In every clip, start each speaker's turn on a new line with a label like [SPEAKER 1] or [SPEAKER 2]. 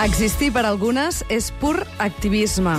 [SPEAKER 1] Existir per algunes és pur activisme.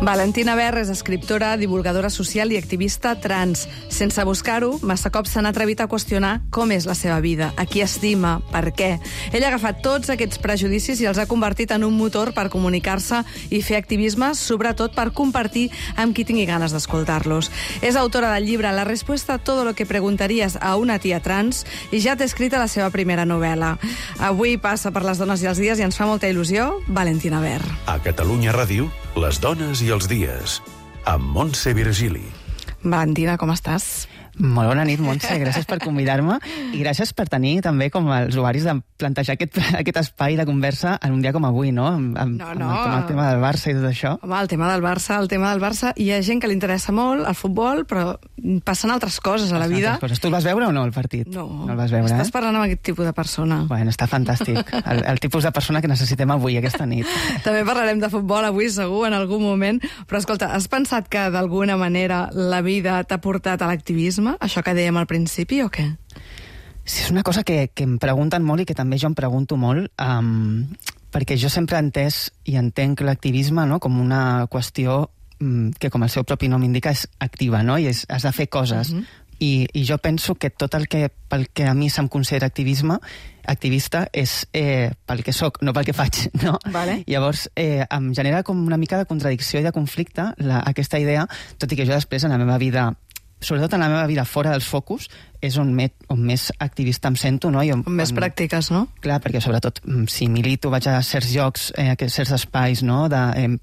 [SPEAKER 1] Valentina Ver és escriptora, divulgadora social i activista trans. Sense buscar-ho, massa cops s'han atrevit a qüestionar com és la seva vida, a qui estima, per què. Ella ha agafat tots aquests prejudicis i els ha convertit en un motor per comunicar-se i fer activisme, sobretot per compartir amb qui tingui ganes d'escoltar-los. És autora del llibre La respuesta a todo lo que preguntarías a una tía trans i ja té escrita la seva primera novel·la. Avui passa per les dones i els dies i ens fa molta il·lusió Valentina Ver.
[SPEAKER 2] A Catalunya Ràdio, les dones i els dies, amb Montse Virgili.
[SPEAKER 1] Valentina, com estàs?
[SPEAKER 3] Molt bona nit, Montse. Gràcies per convidar-me i gràcies per tenir també com els usuaris de plantejar aquest espai de conversa en un dia com avui, no? Amb el tema del Barça i tot això.
[SPEAKER 1] Home, el tema del Barça. Hi ha gent que li interessa molt el futbol, però passen altres coses a la vida.
[SPEAKER 3] Tu el vas veure o no, el partit?
[SPEAKER 1] No
[SPEAKER 3] el vas veure,
[SPEAKER 1] Estàs parlant amb aquest tipus de persona.
[SPEAKER 3] Bueno, està fantàstic. El tipus de persona que necessitem avui, aquesta nit.
[SPEAKER 1] També parlarem de futbol avui, segur, en algun moment. Però, escolta, has pensat que d'alguna manera la vida t'ha portat a l'activisme? Això que dèiem al principi, o què?
[SPEAKER 3] Sí, és una cosa que em pregunten molt i que també jo em pregunto molt, perquè jo sempre he entès i entenc l'activisme, no?, com una qüestió que, com el seu propi nom indica, és activa, no?, i has de fer coses. I jo penso que tot pel que a mi se'm considera activista és pel que soc, no pel que faig, no?
[SPEAKER 1] Vale.
[SPEAKER 3] Llavors, em genera com una mica de contradicció i de conflicte aquesta idea, tot i que jo després en la meva vida, sobretot en la meva vida fora dels focus, és on més activista em sento, no?
[SPEAKER 1] On més pràctiques, no?
[SPEAKER 3] Clar, perquè sobretot si milito, vaig a certs llocs, a certs espais, no?,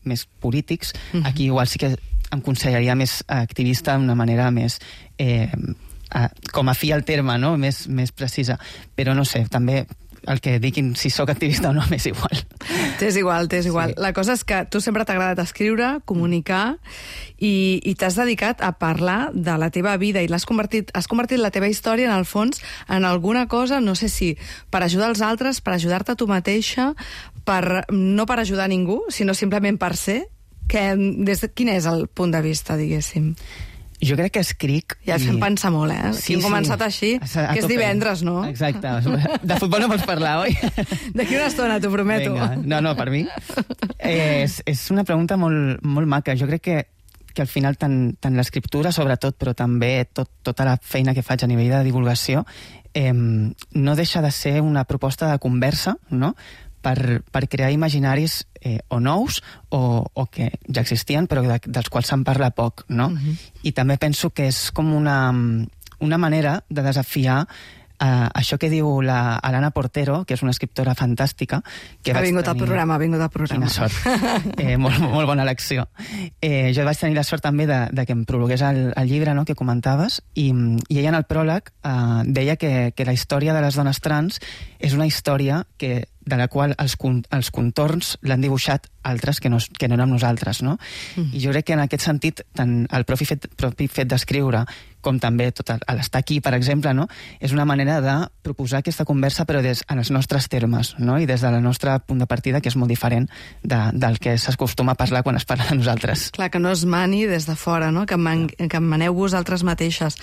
[SPEAKER 3] més polítics, aquí igual sí que em consideraria més activista d'una manera més, com a fi al terme, no?, més precisa. Però no sé, també el que diguin si sóc activista o no m'és igual.
[SPEAKER 1] T'és igual. Sí. La cosa és que tu sempre t'ha agradat escriure, comunicar, i t'has dedicat a parlar de la teva vida i has convertit la teva història, en el fons, en alguna cosa, no sé si per ajudar els altres, per ajudar-te a tu mateixa, no per ajudar a ningú, sinó simplement per ser. Quin és el punt de vista, diguéssim?
[SPEAKER 3] Jo crec que escric...
[SPEAKER 1] Ja fem pensar molt,
[SPEAKER 3] Sí,
[SPEAKER 1] hem començat així, que és divendres, no?
[SPEAKER 3] Exacte. De futbol no vols parlar, oi?
[SPEAKER 1] D'aquí una estona, t'ho prometo.
[SPEAKER 3] Vinga. No, per mi. És una pregunta molt, molt maca. Jo crec que al final tant l'escriptura, sobretot, però també tota la feina que faig a nivell de divulgació, no deixa de ser una proposta de conversa, no?, per crear imaginaris o nous o que ja existien però dels quals se'n parla poc, no? I també penso que és com una manera de desafiar això que diu l'Alana Portero, que és una escriptora fantàstica.
[SPEAKER 1] Ha vingut al programa.
[SPEAKER 3] Quina sort. Molt bona elecció. Jo vaig tenir la sort també de que em prologués el llibre, no?, que comentaves, i ella en el pròleg deia que la història de les dones trans és una història de la qual els contorns l'han dibuixat altres que no érem nosaltres, no? I jo crec que en aquest sentit, tant el propi fet d'escriure com també tot l'estar aquí, per exemple, no?, és una manera de proposar aquesta conversa però en els nostres termes, no?, i des del nostre punt de partida, que és molt diferent del que s'acostuma a parlar quan es parla de nosaltres.
[SPEAKER 1] Clar, que no es mani des de fora, no?, que maneu vosaltres mateixes.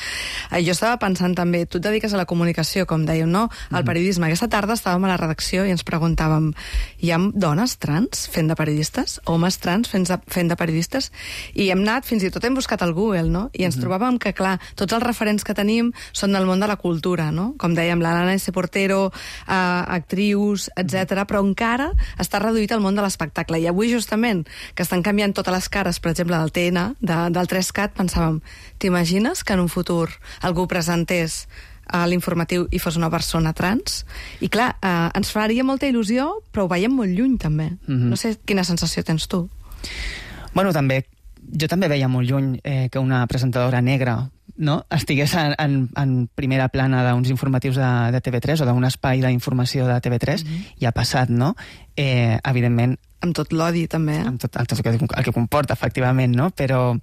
[SPEAKER 1] Jo estava pensant també, tu et dediques a la comunicació, com dèiem, no?, al periodisme. Aquesta tarda estàvem a la redacció i ens preguntàvem, hi ha dones trans fent de periodistes? Homes trans fent de periodistes? I hem anat, fins i tot hem buscat al Google, no?, i ens trobàvem que, clar, tots els referents que tenim són del món de la cultura, no? Com dèiem, l'Alana S. Portero, actrius, etc. Però encara està reduït al món de l'espectacle. I avui, justament, que estan canviant totes les cares, per exemple, del TN, del 3CAT, pensàvem, t'imagines que en un futur algú presentés a l'informatiu i fos una persona trans? I clar, ens faria molta il·lusió, però ho veiem molt lluny, també. No sé quina sensació tens tu.
[SPEAKER 3] Bueno, jo també veia molt lluny que una presentadora negra, no?, estigués en primera plana d'uns informatius de TV3 o d'un espai d'informació de TV3, i ha passat, no? Evidentment...
[SPEAKER 1] Amb tot l'odi, també,
[SPEAKER 3] Amb tot el que comporta, efectivament, no? Però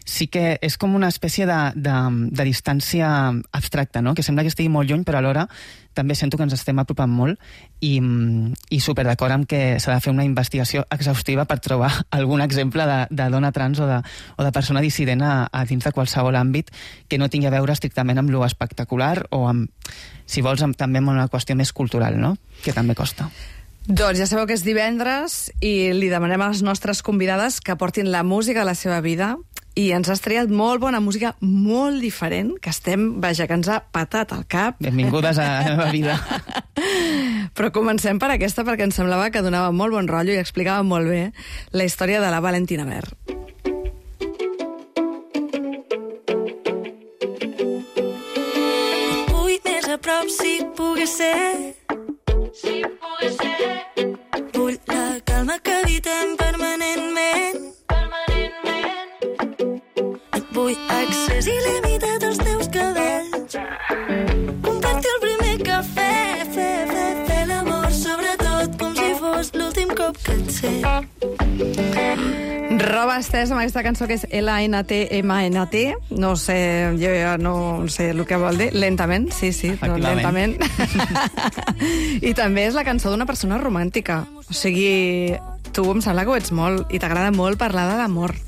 [SPEAKER 3] sí que és com una espècie de distància abstracta, no? Que sembla que estigui molt lluny, però alhora també sento que ens estem apropant molt i super d'acord amb que s'ha de fer una investigació exhaustiva per trobar algun exemple de dona trans o de persona dissident a dins de qualsevol àmbit que no tingui a veure estrictament amb lo espectacular o amb, si vols, també amb una qüestió més cultural, no? Que també costa.
[SPEAKER 1] Doncs ja sabeu que és divendres i li demanem a les nostres convidades que portin la música de la seva vida i ens has triat molt bona música, molt diferent, que vaja, que ens ha patat al cap.
[SPEAKER 3] Benvingudes a la meva vida.
[SPEAKER 1] Però comencem per aquesta perquè em semblava que donava molt bon rotllo i explicava molt bé la història de la Valentina Ver.
[SPEAKER 4] Vull més a prop si pogués ser. Si pogués ser. Vull la calma que evitem permanentment. Vull accés il·limitat als teus cabells. Compartir el primer cafè, fer l'amor, sobretot com si fos l'últim cop que et sé.
[SPEAKER 1] Roba estesa amb aquesta cançó que és LNTMNT. No sé, jo ja no sé el que vol dir. Lentament, sí, no, lentament. I també és la cançó d'una persona romàntica. O sigui, tu em sembla que ho ets molt i t'agrada molt parlar de l'amor.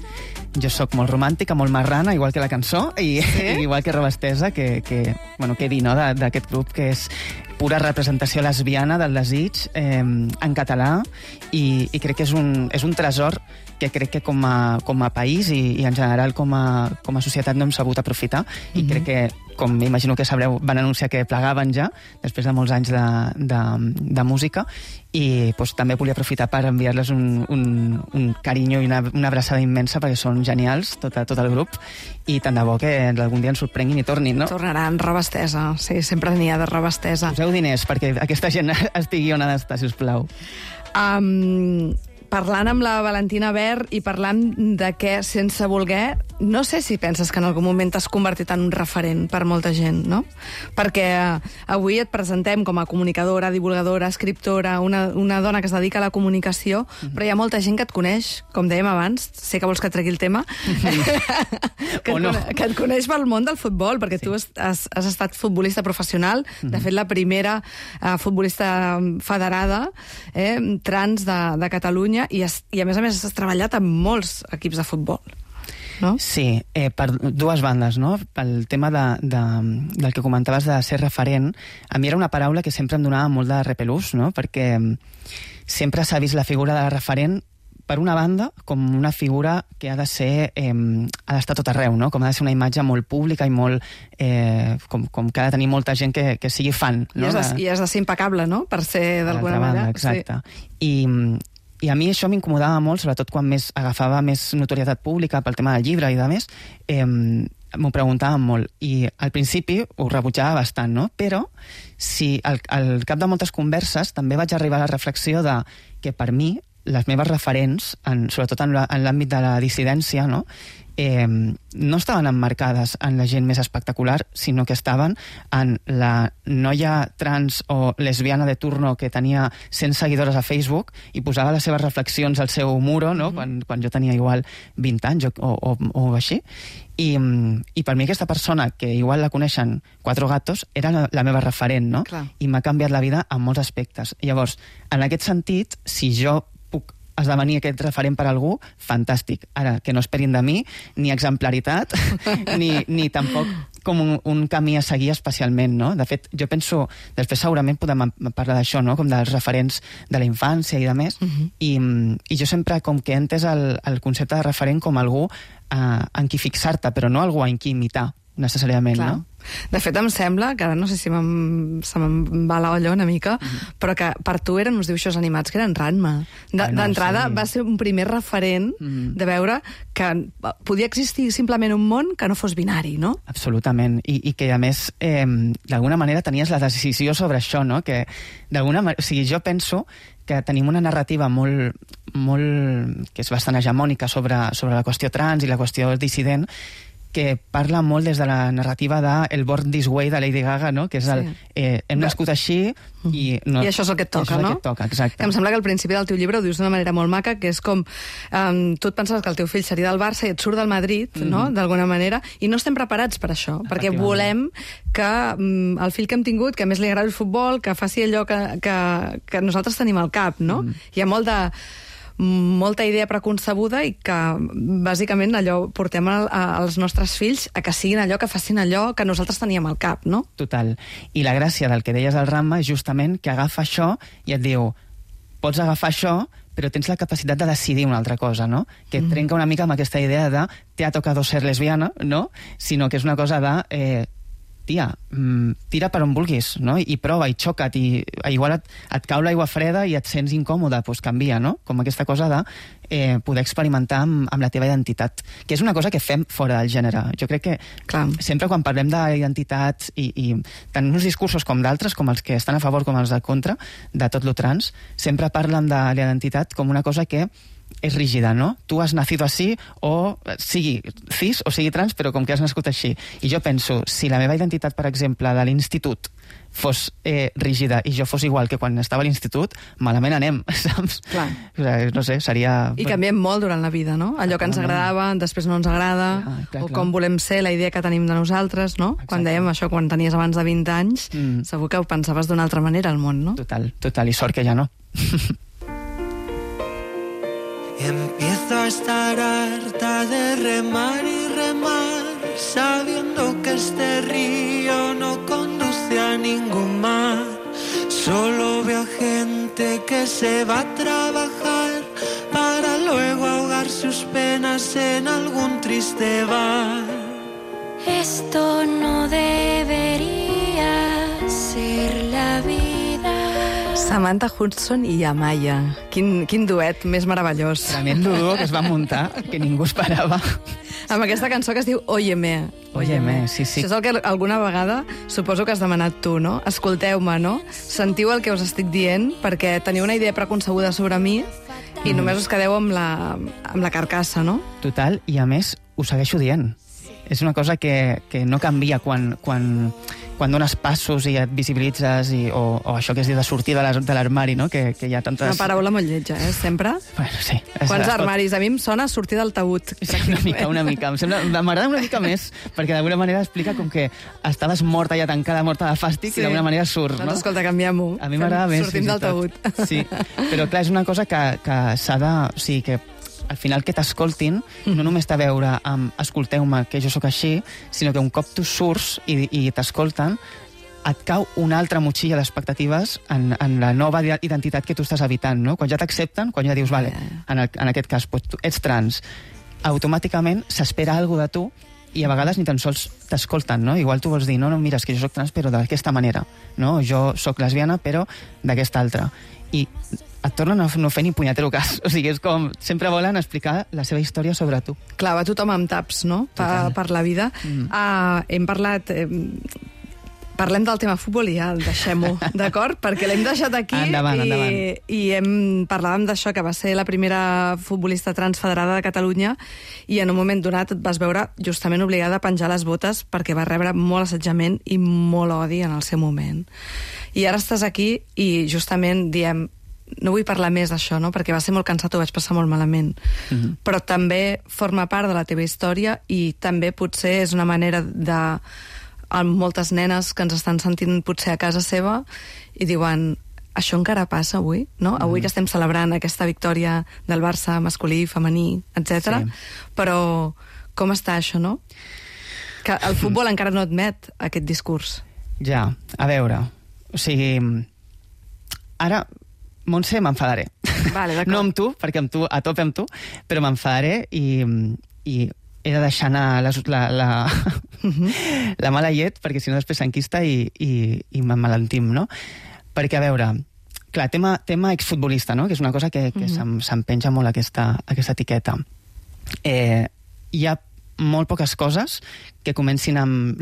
[SPEAKER 3] Jo sóc molt romàntica, molt marrana, igual que la cançó, i igual que Roba estesa, que què dir, no?, d'aquest grup que és pura representació lesbiana del desig en català i crec que és un tresor que crec que com a país i en general com a societat no hem sabut aprofitar i crec que, com m'imagino que sabreu, van anunciar que plegaven ja després de molts anys de música i també volia aprofitar per enviar-les un carinyo i una abraçada immensa perquè són genials, tot el grup, i tant de bo que algun dia ens sorprenguin i tornin, no?
[SPEAKER 1] Tornaran, Roba estesa, sí, sempre n'hi ha de Roba estesa.
[SPEAKER 3] Poseu diners perquè aquesta gent estigui on ha d'estar, sisplau.
[SPEAKER 1] Parlant amb la Valentina Ver i parlant de què, sense voler, no sé si penses que en algun moment t'has convertit en un referent per molta gent, no? Perquè avui et presentem com a comunicadora, divulgadora, escriptora, una dona que es dedica a la comunicació, però hi ha molta gent que et coneix, com dèiem abans, sé que vols que tregui el tema, que et coneix pel món del futbol, perquè tu has estat futbolista professional, de fet la primera futbolista federada trans de Catalunya, i a més has treballat amb molts equips de futbol, no?
[SPEAKER 3] Sí, per dues bandes, no? Pel tema del que comentaves de ser referent, a mi era una paraula que sempre em donava molt de repelús, no? Perquè sempre s'ha vist la figura de la referent per una banda, com una figura que ha d'estar tot arreu, no? Com ha de ser una imatge molt pública i molt... com que ha de tenir molta gent que sigui fan, no?
[SPEAKER 1] I has de ser impecable, no? Per ser d'alguna manera.
[SPEAKER 3] Exacte. Sí. I a mi això m'incomodava molt, sobretot quan agafava més notorietat pública pel tema del llibre i de més, m'ho preguntaven molt. I al principi ho rebutjava bastant, no? Però al cap de moltes converses també vaig arribar a la reflexió de que per mi les meves referents, sobretot en l'àmbit de la dissidència, no? No estaven emmarcades en la gent més espectacular, sinó que estaven en la noia trans o lesbiana de turno que tenia 100 seguidores a Facebook i posava les seves reflexions al seu muro, no? Quan jo tenia igual 20 anys o així. I per mi aquesta persona, que igual la coneixen 4 gatos, era la meva referent, no?
[SPEAKER 1] Clar.
[SPEAKER 3] I m'ha canviat la vida en molts aspectes. Llavors, en aquest sentit, si jo puc esdevenir aquest referent per algú, fantàstic. Ara, que no esperin de mi ni exemplaritat, ni tampoc com un camí a seguir especialment, no? De fet, jo penso, després segurament podem parlar d'això, no? Com dels referents de la infància i de més, i jo sempre com que he entès el concepte de referent com algú en qui fixar-te, però no algú en qui imitar, necessàriament, no?
[SPEAKER 1] De fet, em sembla, que ara no sé si se me'n va la olla una mica, però que per tu eren uns dibuixos animats que eren Ranma. D'entrada va ser un primer referent de veure que podia existir simplement un món que no fos binari, no?
[SPEAKER 3] Absolutament, i que a més d'alguna manera tenies la decisió sobre això, no? Que d'alguna manera, o sigui, jo penso que tenim una narrativa molt que és bastant hegemònica sobre la qüestió trans i la qüestió dissident, que parla molt des de la narrativa de el Born This Way de Lady Gaga, no? Que és el hem nascut així i... No,
[SPEAKER 1] i això és el que et toca, no?
[SPEAKER 3] Això és el que et toca, exacte.
[SPEAKER 1] Que em sembla que al principi del teu llibre ho dius d'una manera molt maca, que és com tu et pensaves que el teu fill seria del Barça i et surt del Madrid, no? D'alguna manera, i no estem preparats per això, perquè volem que el fill que hem tingut, que a més li agrada el futbol, que faci allò que nosaltres tenim al cap, no? Hi ha molta idea preconcebuda i que bàsicament allò portem als nostres fills a que siguin allò, que facin allò que nosaltres teníem al cap, no?
[SPEAKER 3] Total. I la gràcia del que deies al Ramma és justament que agafa això i et diu, pots agafar això, però tens la capacitat de decidir una altra cosa, no? Que et trenca una mica amb aquesta idea de te ha tocado ser lesbiana, no? Sinó que és una cosa de... tia, tira per on vulguis, no? I prova, i xoca't, i igual et cau l'aigua freda i et sents incòmode, doncs canvia, no? Com aquesta cosa de poder experimentar amb la teva identitat, que és una cosa que fem fora del gènere. Jo crec que sempre quan parlem d'identitats i tant uns discursos com d'altres, com els que estan a favor com els de contra, de tot lo trans, sempre parlen de la identitat com una cosa que és rígida, no? Tu has nacido así, o sigui cis o sigui trans, però com que has nascut així. I jo penso, si la meva identitat, per exemple, de l'institut fos rígida i jo fos igual que quan estava a l'institut, malament anem, saps?
[SPEAKER 1] Clar.
[SPEAKER 3] No sé, seria...
[SPEAKER 1] I canviem molt durant la vida, no? Allò que ens agradava, després no ens agrada, o com volem ser, la idea que tenim de nosaltres, no?
[SPEAKER 3] Exacte.
[SPEAKER 1] Quan dèiem això, quan tenies abans de 20 anys, segur que ho pensaves d'una altra manera al món, no?
[SPEAKER 3] Total, i sort que ja no.
[SPEAKER 5] Empiezo a estar harta de remar y remar, sabiendo que este río no conduce a ningún mar. Solo veo gente que se va a trabajar para luego ahogar sus penas en algún triste bar.
[SPEAKER 4] Esto no debería ser la vida.
[SPEAKER 1] Samantha Hudson i Amaya. Quin duet més meravellós.
[SPEAKER 3] Tremend duo que es va muntar, que ningú esperava.
[SPEAKER 1] Amb aquesta cançó que es diu Óyeme.
[SPEAKER 3] Óyeme, sí.
[SPEAKER 1] Això és el que alguna vegada suposo que has demanat tu, no? Escolteu-me, no? Sentiu el que us estic dient, perquè teniu una idea preconcebuda sobre mi i només us quedeu amb la carcassa, no?
[SPEAKER 3] Total, i a més ho segueixo dient. És una cosa que no canvia quan dones passos i et visibilitzes o això que es diu de sortir de l'armari, no? Que hi ha tantes...
[SPEAKER 1] Una paraula molt lletja, sempre?
[SPEAKER 3] Bueno, sí.
[SPEAKER 1] Quants armaris? A mi em sona sortir del taüt.
[SPEAKER 3] Sí, una mica. M'agrada una mica més, perquè d'alguna manera explica com que estaves morta ja tancada, morta de fàstic, i d'alguna manera surt, no?
[SPEAKER 1] Doncs escolta, canviem-ho.
[SPEAKER 3] A mi m'agrada més.
[SPEAKER 1] Sortim del taüt.
[SPEAKER 3] Sí, però clar, és una cosa que s'ha de... O sigui, que al final que t'escoltin no només té a veure amb escolteu-me que jo sóc així, sinó que un cop tu surts i t'escolten, et cau una altra motxilla d'expectatives en la nova identitat que tu estàs habitant, no? Quan ja t'accepten, quan ja dius, vale, en aquest cas, tu ets trans, automàticament s'espera alguna cosa de tu i a vegades ni tan sols t'escolten, no? Igual tu vols dir, no, mira, és que jo sóc trans però d'aquesta manera, no? Jo sóc lesbiana però d'aquesta altra. I et tornen a no fer ni punyetero cas. O sigui, és com... Sempre volen explicar la seva història sobre tu.
[SPEAKER 1] Clar, va tothom amb taps, no? Per la vida. Hem parlat... Parlem del tema futbol i ja el deixem-ho, d'acord? Perquè l'hem deixat aquí
[SPEAKER 3] endavant.
[SPEAKER 1] I parlàvem d'això, que va ser la primera futbolista trans federada de Catalunya i en un moment donat et vas veure justament obligada a penjar les botes perquè va rebre molt assetjament i molt odi en el seu moment. I ara estàs aquí i justament diem no vull parlar més d'això, no? Perquè va ser molt cansat, ho vaig passar molt malament. Però també forma part de la teva història i també potser és una manera de... amb moltes nenes que ens estan sentint potser a casa seva i diuen, això encara passa avui, no? Avui que estem celebrant aquesta victòria del Barça masculí, femení, etc. Però com està això, no? Que el futbol encara no admet aquest discurs.
[SPEAKER 3] Ja, a veure, o sigui, ara, Montse, m'enfadaré.
[SPEAKER 1] Vale,
[SPEAKER 3] no amb tu, perquè amb tu, a tope amb tu, però m'enfadaré i he de deixar anar la mala llet, perquè si no després s'enquista i m'emmalentim, no? Perquè, a veure, clar, tema exfutbolista, no? Que és una cosa que se'm penja molt aquesta etiqueta. Hi ha molt poques coses que comencin amb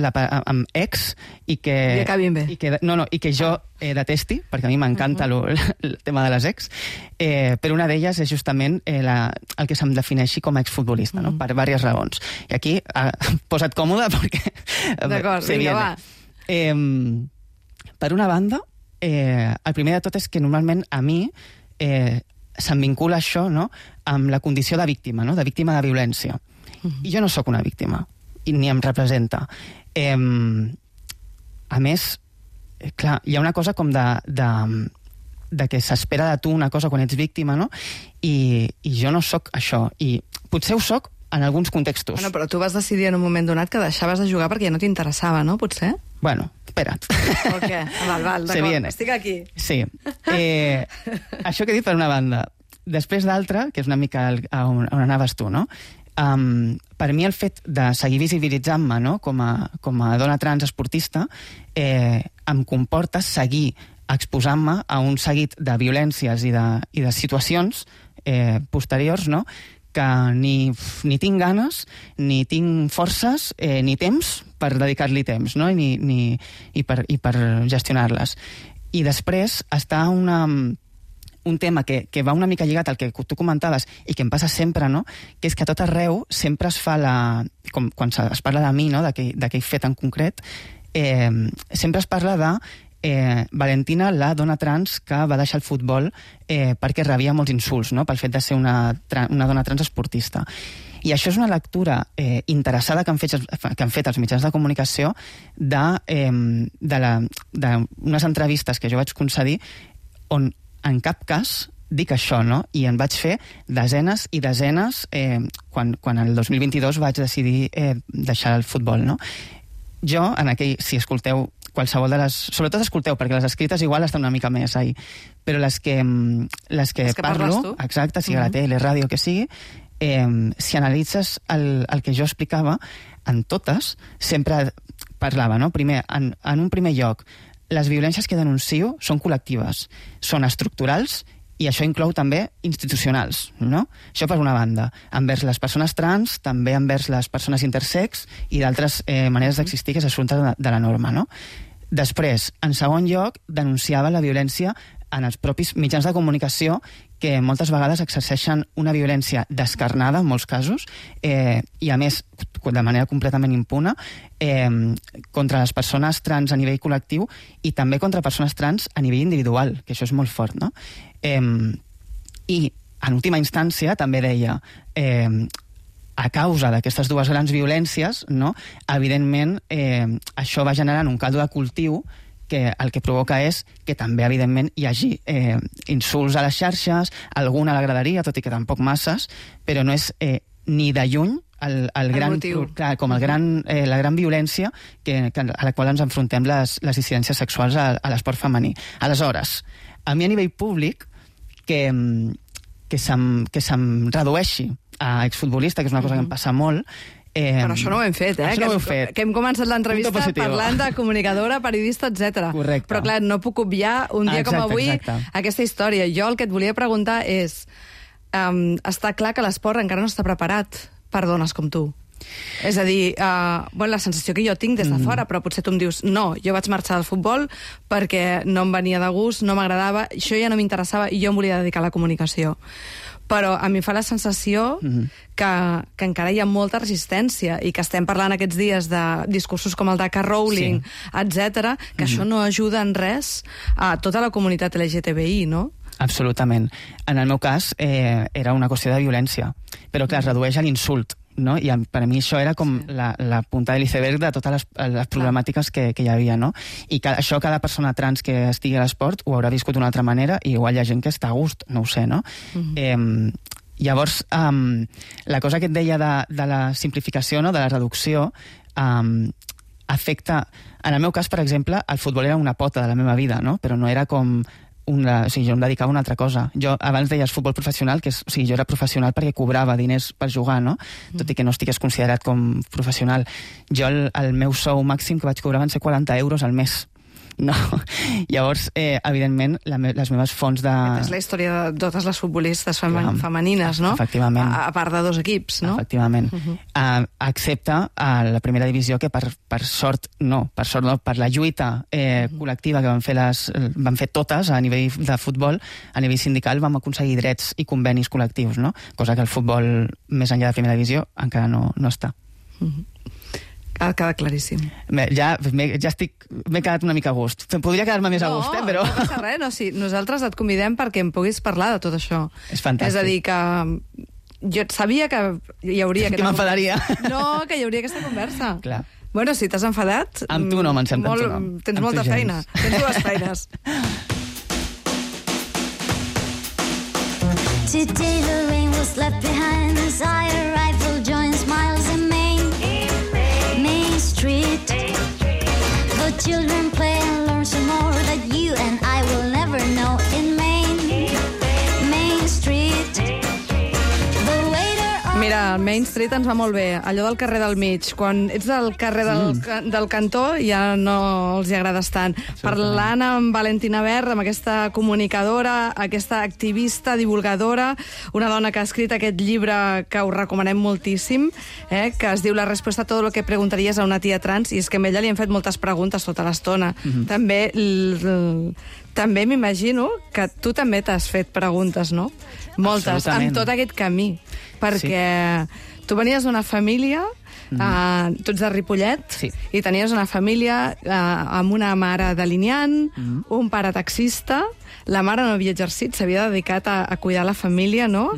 [SPEAKER 3] ex i que...
[SPEAKER 1] I acabin bé.
[SPEAKER 3] I que jo detesti, perquè a mi m'encanta el tema de les ex, però una d'elles és justament el que se'm defineixi com a exfutbolista, no? Per diverses raons. I aquí, posa't còmode, perquè...
[SPEAKER 1] D'acord, vinga, va.
[SPEAKER 3] Per una banda, el primer de tot és que normalment a mi se'm vincula això, no?, amb la condició de víctima, no?, de víctima de violència. I jo no sóc una víctima, ni em representa. A més, clar, hi ha una cosa com de que s'espera de tu una cosa quan ets víctima, no? I jo no sóc això. I potser ho sóc en alguns contextos.
[SPEAKER 1] Bueno, però tu vas decidir en un moment donat que deixaves de jugar perquè ja no t'interessava, no? Potser?
[SPEAKER 3] Bueno, espera't.
[SPEAKER 1] O què? Val, d'acord, estic aquí.
[SPEAKER 3] Sí. Això que he dit per una banda. Després d'altra, que és una mica on anaves tu, no? Per mi el fet de seguir visibilitzant-me, no?, com a dona trans esportista em comporta seguir exposant-me a un seguit de violències i de situacions posteriors, no?, que ni tinc ganes, ni tinc forces, ni temps per dedicar-li temps, no?, i per gestionar-les. I després està un tema que va una mica lligat al que tu comentaves i que em passa sempre, no?, que és que a tot arreu sempre es fa com quan es parla de mi, no?, d'aquell fet en concret, sempre es parla de Valentina, la dona trans que va deixar el futbol perquè rebia molts insults, no?, pel fet de ser una dona trans esportista. I això és una lectura interessada que han fet els mitjans de comunicació d'unes entrevistes que jo vaig concedir on en cap cas dic això, no? I en vaig fer desenes i desenes quan el 2022 vaig decidir deixar el futbol, no? Jo, si escolteu qualsevol de les... Sobretot escolteu, perquè les escrites igual estan una mica més ahí, però les que parlo, exacte, sigui a la tele, ràdio, que sigui, si analitzes el que jo explicava, en totes sempre parlava, no? Primer, en un primer lloc, les violències que denuncio són col·lectives, són estructurals i això inclou també institucionals, no? Això per una banda. Envers les persones trans, també envers les persones intersex i d'altres maneres d'existir que s'assumpten de la norma, no? Després, en segon lloc, denunciava la violència en els propis mitjans de comunicació que moltes vegades exerceixen una violència descarnada, en molts casos, i a més de manera completament impune, contra les persones trans a nivell col·lectiu i també contra persones trans a nivell individual, que això és molt fort, no? I, en última instància, també deia, a causa d'aquestes dues grans violències, no, evidentment, això va generant un caldo de cultiu que el que provoca és que també, evidentment, hi hagi insults a les xarxes, alguna a la graderia, tot i que tampoc masses, però no és ni de lluny la gran violència a la qual ens enfrontem les dissidències sexuals a l'esport femení. Aleshores, a mi a nivell públic, que se'm redueixi a exfutbolista, que és una cosa que em passa molt,
[SPEAKER 1] però això no ho hem fet,
[SPEAKER 3] Això no ho hem fet.
[SPEAKER 1] Que hem començat l'entrevista parlant de comunicadora, periodista, etc.
[SPEAKER 3] Correcte.
[SPEAKER 1] Però clar, no puc obviar un dia com avui aquesta història. Jo el que et volia preguntar és està clar que l'esport encara no està preparat per dones com tu. És a dir, la sensació que jo tinc des de fora, però potser tu em dius no, jo vaig marxar del futbol perquè no em venia de gust, no m'agradava, això ja no m'interessava i jo em volia dedicar a la comunicació. Però a mi fa la sensació que encara hi ha molta resistència i que estem parlant aquests dies de discursos com el de K. Rowling, etc., que això no ajuda en res a tota la comunitat LGTBI, no?
[SPEAKER 3] Absolutament. En el meu cas era una qüestió de violència, però que es redueix a l'insult, no? I per a mi això era com la punta de l'iceberg de totes les problemàtiques que hi havia, no? I això cada persona trans que estigui a l'esport ho haurà viscut d'una altra manera i igual hi ha gent que està a gust, no ho sé, no? Llavors, la cosa que et deia de la simplificació, no? De la reducció, afecta... En el meu cas, per exemple, el futbol era una pota de la meva vida, no? Però no era com... jo em dedicava a una altra cosa. Jo abans deies futbol professional, jo era professional perquè cobrava diners per jugar, no? Tot i que no estigués considerat com professional. Jo el meu sou màxim que vaig cobrar van ser 40 euros al mes. No. Llavors, evidentment, les meves fonts de...
[SPEAKER 1] És la història de totes les futbolistes femenines, no?
[SPEAKER 3] Efectivament.
[SPEAKER 1] A part de 2 equips, no?
[SPEAKER 3] Efectivament. Excepte a la primera divisió, que per sort no, per la lluita col·lectiva que van fer totes a nivell de futbol, a nivell sindical vam aconseguir drets i convenis col·lectius, no? Cosa que el futbol, més enllà de primera divisió, encara no està.
[SPEAKER 1] Ha quedat claríssim.
[SPEAKER 3] M'he quedat una mica a gust. Podria quedar-me més a gust, però...
[SPEAKER 1] No passa res, no, sí. Nosaltres et convidem perquè em puguis parlar de tot això.
[SPEAKER 3] És fantàstic.
[SPEAKER 1] És a dir, que jo sabia que hi hauria...
[SPEAKER 3] Que m'enfadaria.
[SPEAKER 1] No, que hi hauria aquesta conversa.
[SPEAKER 3] Clar.
[SPEAKER 1] Bueno, si t'has enfadat...
[SPEAKER 3] Amb tu no me'n sento, no.
[SPEAKER 1] Tens molta feina. Tens 2 feines.
[SPEAKER 4] Today the rain was left behind as I arrived, full joy and smiles in Main Street. The children play and learn some more that you and I will never know in Main Street.
[SPEAKER 1] Mira, el Main Street ens va molt bé, allò del carrer del mig. Quan ets del carrer del cantó ja no els hi agrades tant. Parlant amb Valentina Ver, amb aquesta comunicadora, aquesta activista, divulgadora, una dona que ha escrit aquest llibre que us recomanem moltíssim, que es diu La respuesta a todo lo que preguntaries a una tia trans, i és que a ella li han fet moltes preguntes tota l'estona. També m'imagino que tu també t'has fet preguntes, no? Moltes, amb tot aquest camí. Perquè tu venies d'una família, tu ets de Ripollet, i tenies una família amb una mare delineant, un pare taxista, la mare no havia exercit, s'havia dedicat a cuidar la família, no?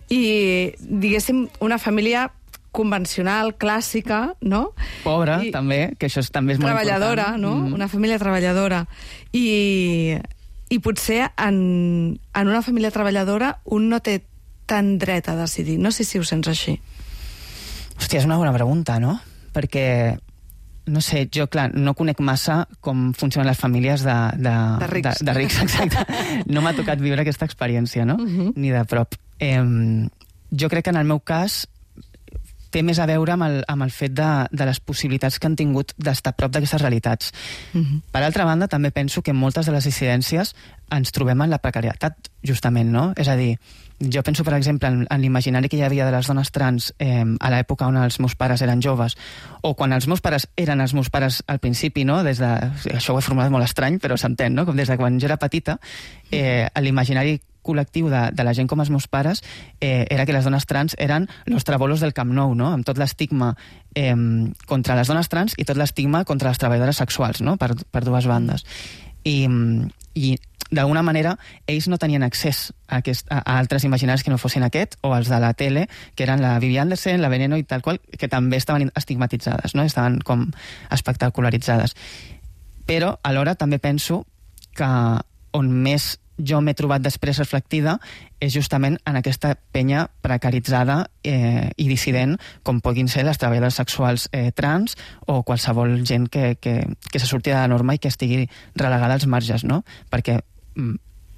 [SPEAKER 1] I, diguéssim, una família convencional, clàssica, no?
[SPEAKER 3] Pobra, també, que això també és molt important.
[SPEAKER 1] Treballadora, no? Una família treballadora. I potser en una família treballadora un no té tan dret a decidir. No sé si ho sents així.
[SPEAKER 3] Hòstia, és una bona pregunta, no? Perquè, no sé, jo, clar, no conec massa com funcionen les famílies de
[SPEAKER 1] rics.
[SPEAKER 3] De rics, exacte. No m'ha tocat viure aquesta experiència, no? Ni de prop. Jo crec que en el meu cas té més a veure amb el fet de les possibilitats que han tingut d'estar a prop d'aquestes realitats. Per altra banda, també penso que moltes de les dissidències ens trobem en la precarietat, justament, no? És a dir, jo penso, per exemple, en l'imaginari que hi havia de les dones trans a l'època on els meus pares eren joves, o quan els meus pares eren els meus pares al principi, no? Això ho he formulat molt estrany, però s'entén, no? Com des de quan jo era petita, l'imaginari col·lectiu de la gent com els meus pares era que les dones trans eren los trabolos del Camp Nou, no? Amb tot l'estigma contra les dones trans i tot l'estigma contra les treballadores sexuals, no? Per dues bandes. I d'alguna manera ells no tenien accés a altres imaginaris que no fossin aquest, o els de la tele, que eren la Vivi Anderson, la Veneno i tal qual, que també estaven estigmatitzades, no? Estaven com espectacularitzades. Però alhora també penso que on més jo m'he trobat després reflectida és justament en aquesta penya precaritzada i dissident com puguin ser les treballadores sexuals trans o qualsevol gent que se surti de la norma i que estigui relegada als marges, no? Perquè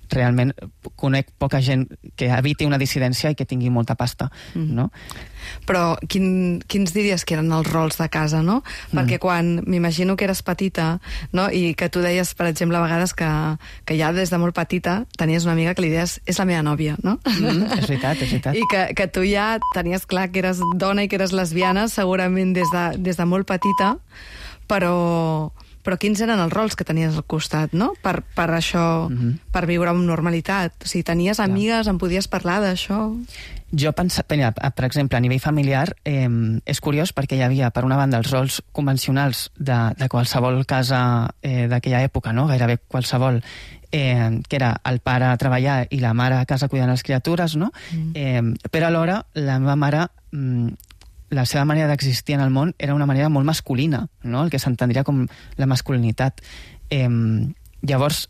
[SPEAKER 3] realment conec poca gent que eviti una dissidència i que tingui molta pasta, no?
[SPEAKER 1] Però quins diries que eren els rols de casa, no? Perquè quan m'imagino que eres petita, no? I que tu deies, per exemple, a vegades que ja des de molt petita tenies una amiga que li deies és la meva nòvia, no?
[SPEAKER 3] És veritat, és veritat.
[SPEAKER 1] I que tu ja tenies clar que eres dona i que eres lesbiana segurament des de molt petita, però quins eren els rols que tenies al costat, no? Per això, per viure amb normalitat. O sigui, tenies amigues, en podies parlar d'això?
[SPEAKER 3] Jo pensava, per exemple, a nivell familiar, és curiós perquè hi havia, per una banda, els rols convencionals de qualsevol casa d'aquella època, no? Gairebé qualsevol, que era el pare a treballar i la mare a casa cuidant les criatures, no? Però alhora, la meva mare... la seva manera d'existir en el món era una manera molt masculina, no? El que s'entendria com la masculinitat. Llavors,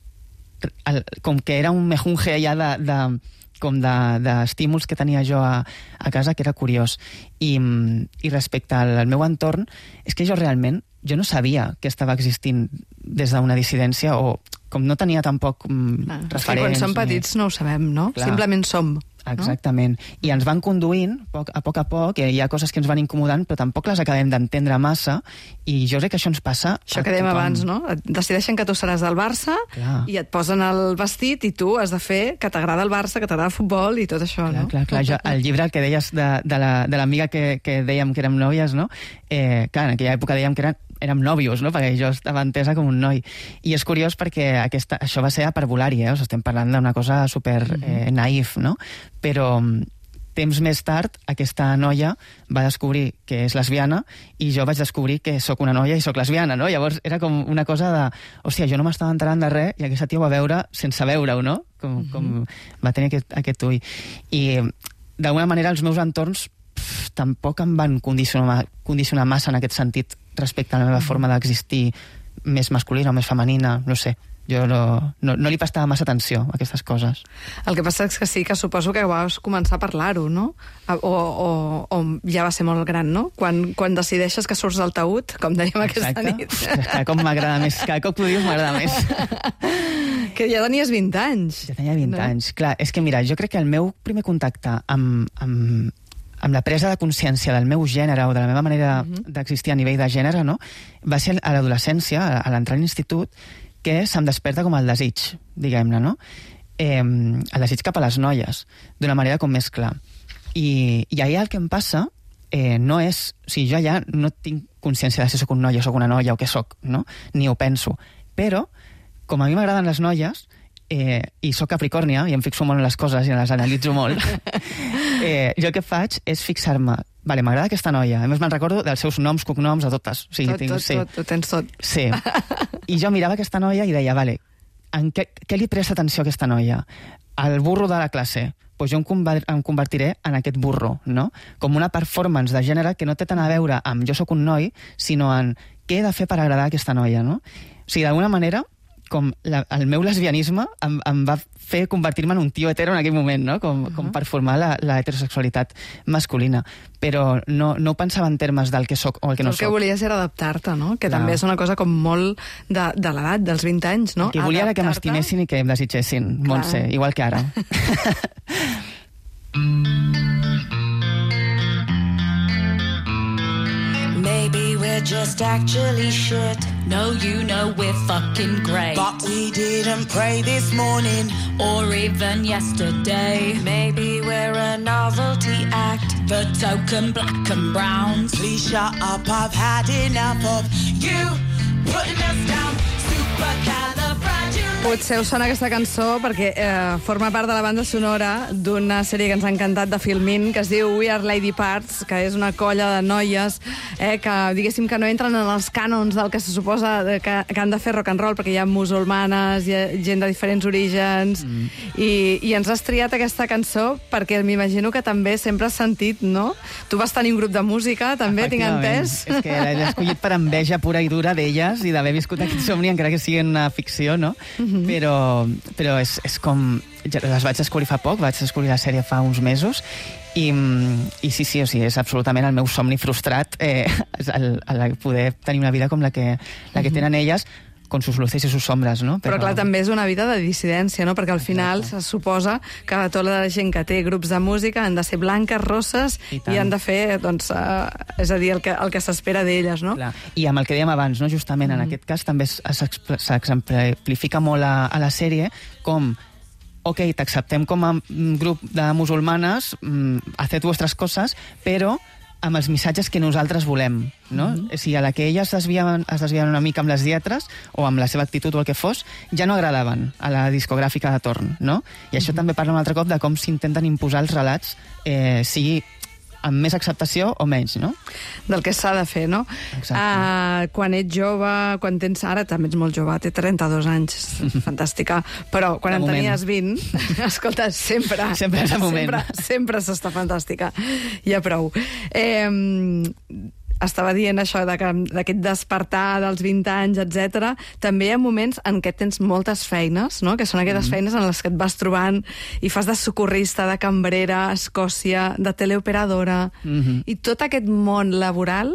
[SPEAKER 3] com que era un mejunge allà d'estímuls que tenia jo a casa, que era curiós. I respecte al meu entorn, és que jo realment no sabia que estava existint des d'una dissidència o com no tenia tampoc referents...
[SPEAKER 1] Quan som petits no ho sabem, no?
[SPEAKER 3] Clar.
[SPEAKER 1] Simplement som.
[SPEAKER 3] Exactament. I ens van conduint a poc, hi ha coses que ens van incomodant, però tampoc les acabem d'entendre massa, i jo crec que això ens passa
[SPEAKER 1] Això que dèiem abans, no? Et decideixen que tu seràs del Barça i et posen el vestit i tu has de fer que t'agrada el Barça, que t'agrada el futbol i tot això, no?
[SPEAKER 3] Clar. El llibre, el que deies de l'amiga que dèiem que érem nòvies, no? Clar, en aquella època dèiem que érem nòvios, no? Perquè jo estava entesa com un noi. I és curiós perquè això va ser a parvulari, estem parlant d'una cosa super naïf, no? Però temps més tard aquesta noia va descobrir que és lesbiana i jo vaig descobrir que sóc una noia i sóc lesbiana, no? Llavors era com una cosa de... Hòstia, jo no m'estava enterant de res i aquesta tia ho va veure sense veure-ho, no? Com va tenir aquest ull. I d'alguna manera els meus entorns tampoc em van condicionar massa en aquest sentit respecte a la meva forma d'existir més masculina o més femenina, no sé. Jo no li prestava massa atenció a aquestes coses.
[SPEAKER 1] El que passa és que sí, que suposo que vas començar a parlar-ho, no? O ja va ser molt gran, no? Quan decideixes que surts del taüt, com dèiem aquesta nit.
[SPEAKER 3] Cada cop m'agrada més, cada cop que ho dius m'agrada més.
[SPEAKER 1] Que ja tenies 20 anys.
[SPEAKER 3] Ja tenia 20 anys. Clar, és que mira, jo crec que el meu primer contacte amb la presa de consciència del meu gènere o de la meva manera d'existir a nivell de gènere, no? Va ser a l'adolescència, a l'entrar a l'institut, que se'm desperta com el desig, diguem-ne, no? El desig cap a les noies, d'una manera com més clar. I allà el que em passa no és... O sigui, jo allà no tinc consciència de si sóc un noi o sóc una noia o què sóc, no? Ni ho penso. Però, com a mi m'agraden les noies, i sóc capricòrnia, i em fixo molt en les coses i les analitzo molt, jo el que faig és fixar-me. Vale, m'agrada aquesta noia. A més, me'n recordo dels seus noms, cognoms, de totes. O sigui,
[SPEAKER 1] tot, ho tens tot.
[SPEAKER 3] Sí. I jo mirava aquesta noia i deia, vale, en què li presta atenció a aquesta noia? Al burro de la classe. Pues jo em convertiré en aquest burro, no? Com una performance de gènere que no té tant a veure amb jo sóc un noi, sinó en què he de fer per agradar a aquesta noia, no? O sigui, d'alguna manera, com el meu lesbianisme em va fer convertir-me en un tio hetero en aquell moment, no? Com per formar la heterosexualitat masculina. Però no ho pensava en termes del que soc o el que no soc.
[SPEAKER 1] El que volies era adaptar-te, no? Que també és una cosa com molt de l'edat, dels 20 anys, no?
[SPEAKER 3] El que volia era que m'estimessin i que em desitgessin, Montse, igual que ara.
[SPEAKER 6] Maybe we're just actually shit. No, you know we're fucking great.
[SPEAKER 5] But we didn't pray this morning
[SPEAKER 6] or even yesterday.
[SPEAKER 4] Maybe we're a novelty act.
[SPEAKER 6] The token black and browns.
[SPEAKER 5] Please shut up, I've had enough of you putting us down. Supercalifragilistic.
[SPEAKER 1] Potser us sona aquesta cançó perquè forma part de la banda sonora d'una sèrie que ens ha encantat de Filmin, que es diu We Are Lady Parts, que és una colla de noies que, diguéssim, que no entren en els cànons del que se suposa que han de fer rock and roll, perquè hi ha musulmanes, hi ha gent de diferents orígens, i ens has triat aquesta cançó perquè m'imagino que també sempre has sentit, no? Tu vas tenir un grup de música, també, tinc entès?
[SPEAKER 3] És que l'he escollit per enveja pura i dura d'elles i d'haver viscut aquest somni, encara que sigui una ficció, no? Però és com... Les vaig descobrir fa poc, vaig descobrir la sèrie fa uns mesos i sí, o sigui, és absolutament el meu somni frustrat el poder tenir una vida com la que tenen elles, con sus luces i sus sombres, no?
[SPEAKER 1] Però clar, també és una vida de dissidència, no? Perquè al final se suposa que tota la gent que té grups de música han de ser blanques, rosses i han de fer, doncs, és a dir, el que s'espera d'elles, no?
[SPEAKER 3] Clar. I amb el que dèiem abans, no? Justament en aquest cas també s'exemplifica molt a la sèrie com ok, t'acceptem com a grup de musulmanes, haced vuestras coses, però amb els missatges que nosaltres volem, no? O sigui, a la que elles es desviaven una mica amb les lletres o amb la seva actitud o el que fos, ja no agradaven a la discogràfica de torn, no? I això també parla un altre cop de com s'intenten imposar els relats, sigui amb més acceptació o menys, no?
[SPEAKER 1] Del que s'ha de fer, no? Quan ets jove, quan tens... Ara també ets molt jove, té 32 anys, fantàstica, però quan en tenies 20, escolta, sempre és el moment. Sempre s'està fantàstica. Ja prou. Estava dient això d'aquest despertar dels 20 anys, etc. També hi ha moments en què tens moltes feines, no? Que són aquestes feines en les que et vas trobant i fas de socorrista, de cambrera a Escòcia, de teleoperadora, i tot aquest món laboral